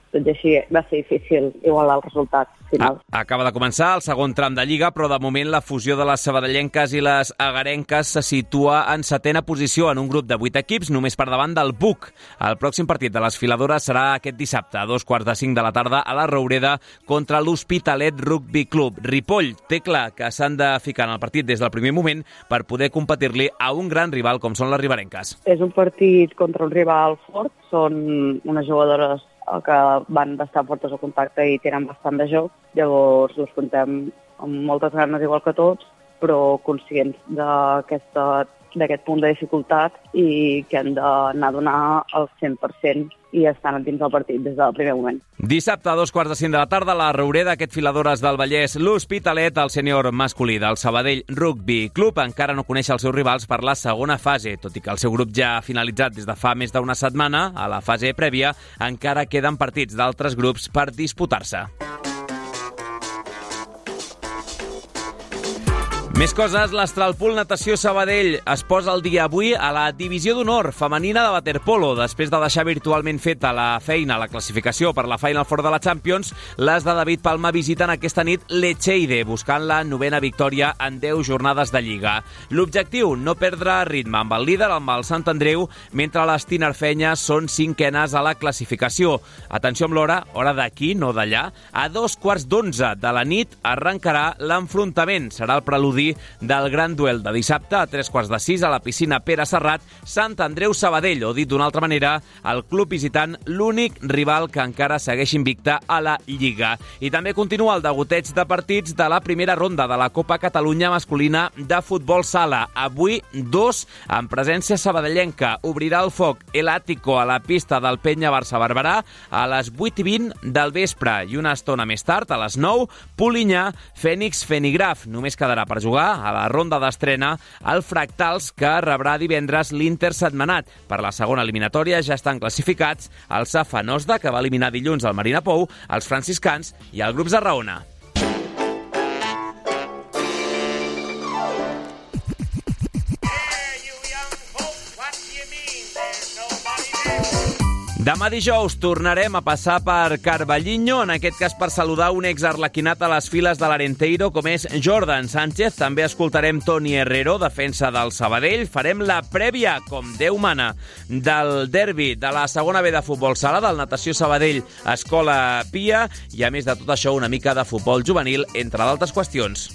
tot i així va ser difícil igualar el resultat final. Ah, acaba de començar el segon tram de Lliga, però de moment la fusió de les sabadellenques i les agarenques se situa en setena posició en un grup de vuit equips, només per davant del B U C. El pròxim partit de les filadores serà aquest dissabte, a dos quarts de cinc de la tarda, a la Roureda, contra l'Hospitalet Rugby Club. Ripoll té clar que s'han de ficar en el partit des del primer moment per poder competir-li a un gran rival com són les riberenques. És un partit contra un rival fort, són unes jugadores que van bastant fortes al contacte i tenen bastant de joc, llavors les contem amb moltes ganes igual que tots, però conscients d'aquesta d'aquest punt de dificultat i que han d'anar a donar el cent per cent i estan dins del partit des del primer moment. Dissabte a dos quarts de cinc de la tarda, a la Roureda, aquest filadores del Vallès, l'Hospitalet, el sènior masculí del Sabadell Rugby Club, encara no coneix els seus rivals per la segona fase, tot i que el seu grup ja ha finalitzat des de fa més d'una setmana. A la fase prèvia encara queden partits d'altres grups per disputar-se. Més coses, l'Astralpool Natació Sabadell es posa al dia avui a la divisió d'honor femenina de waterpolo. Després de deixar virtualment feta la feina, la classificació per la Final Four de la Champions, les de David Palma visiten aquesta nit l'Echeide, buscant la novena victòria en deu jornades de Lliga. L'objectiu, no perdre ritme amb el líder, amb el Sant Andreu, mentre les tinerfenyes són cinquenes a la classificació. Atenció amb l'hora, hora d'aquí, no d'allà. A dos quarts d'onze de la nit arrencarà l'enfrontament. Serà el preludi del gran duel de dissabte a tres quarts de sis a la piscina Pere Serrat, Sant Andreu Sabadell, o dit d'una altra manera, el club visitant l'únic rival que encara segueix invicte a la Lliga. I també continua el degoteig de partits de la primera ronda de la Copa Catalunya masculina de futbol sala. Avui, dos en presència sabadellenca. Obrirà el foc el Àtico a la pista del Penya Barça-Barberà a les vuit i vint del vespre i una estona més tard, a les nou, Polinyà, Fènix-Fenigraf. Només quedarà per jugar a la ronda d'estrena el Fractals, que rebrà divendres l'Inter Setmanat. Per la segona eliminatòria ja estan classificats el Safa Nosda, que va eliminar dilluns el Marina Pou, els franciscans i el grup Zarraona. Demà dijous tornarem a passar per Carballiño, en aquest cas per saludar un exarlequinat a les files de l'Arenteiro com és Jordan Sánchez. També escoltarem Toni Herrero, defensa del Sabadell. Farem la prèvia, com Déu mana, del derbi de la segona B de futbol sala, del Natació Sabadell Escola Pia, i a més de tot això una mica de futbol juvenil, entre d'altres qüestions.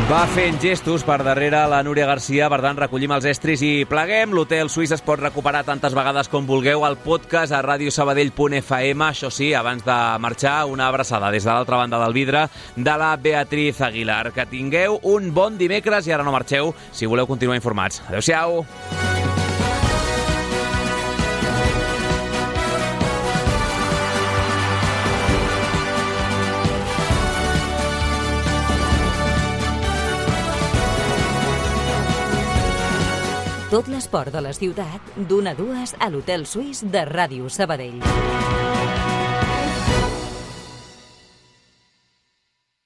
Va fent gestos per darrere la Núria Garcia, per tant recollim els estris i pleguem. L'Hotel Suís es pot recuperar tantes vegades com vulgueu al podcast a radiosabadell punt f m. Això sí, abans de marxar, una abraçada des de l'altra banda del vidre de la Beatriz Aguilar. Que tingueu un bon dimecres i ara no marxeu si voleu continuar informats. Adéu-siau! Tot l'esport de la ciutat, d'una a dues a l'Hotel Suís de Ràdio Sabadell.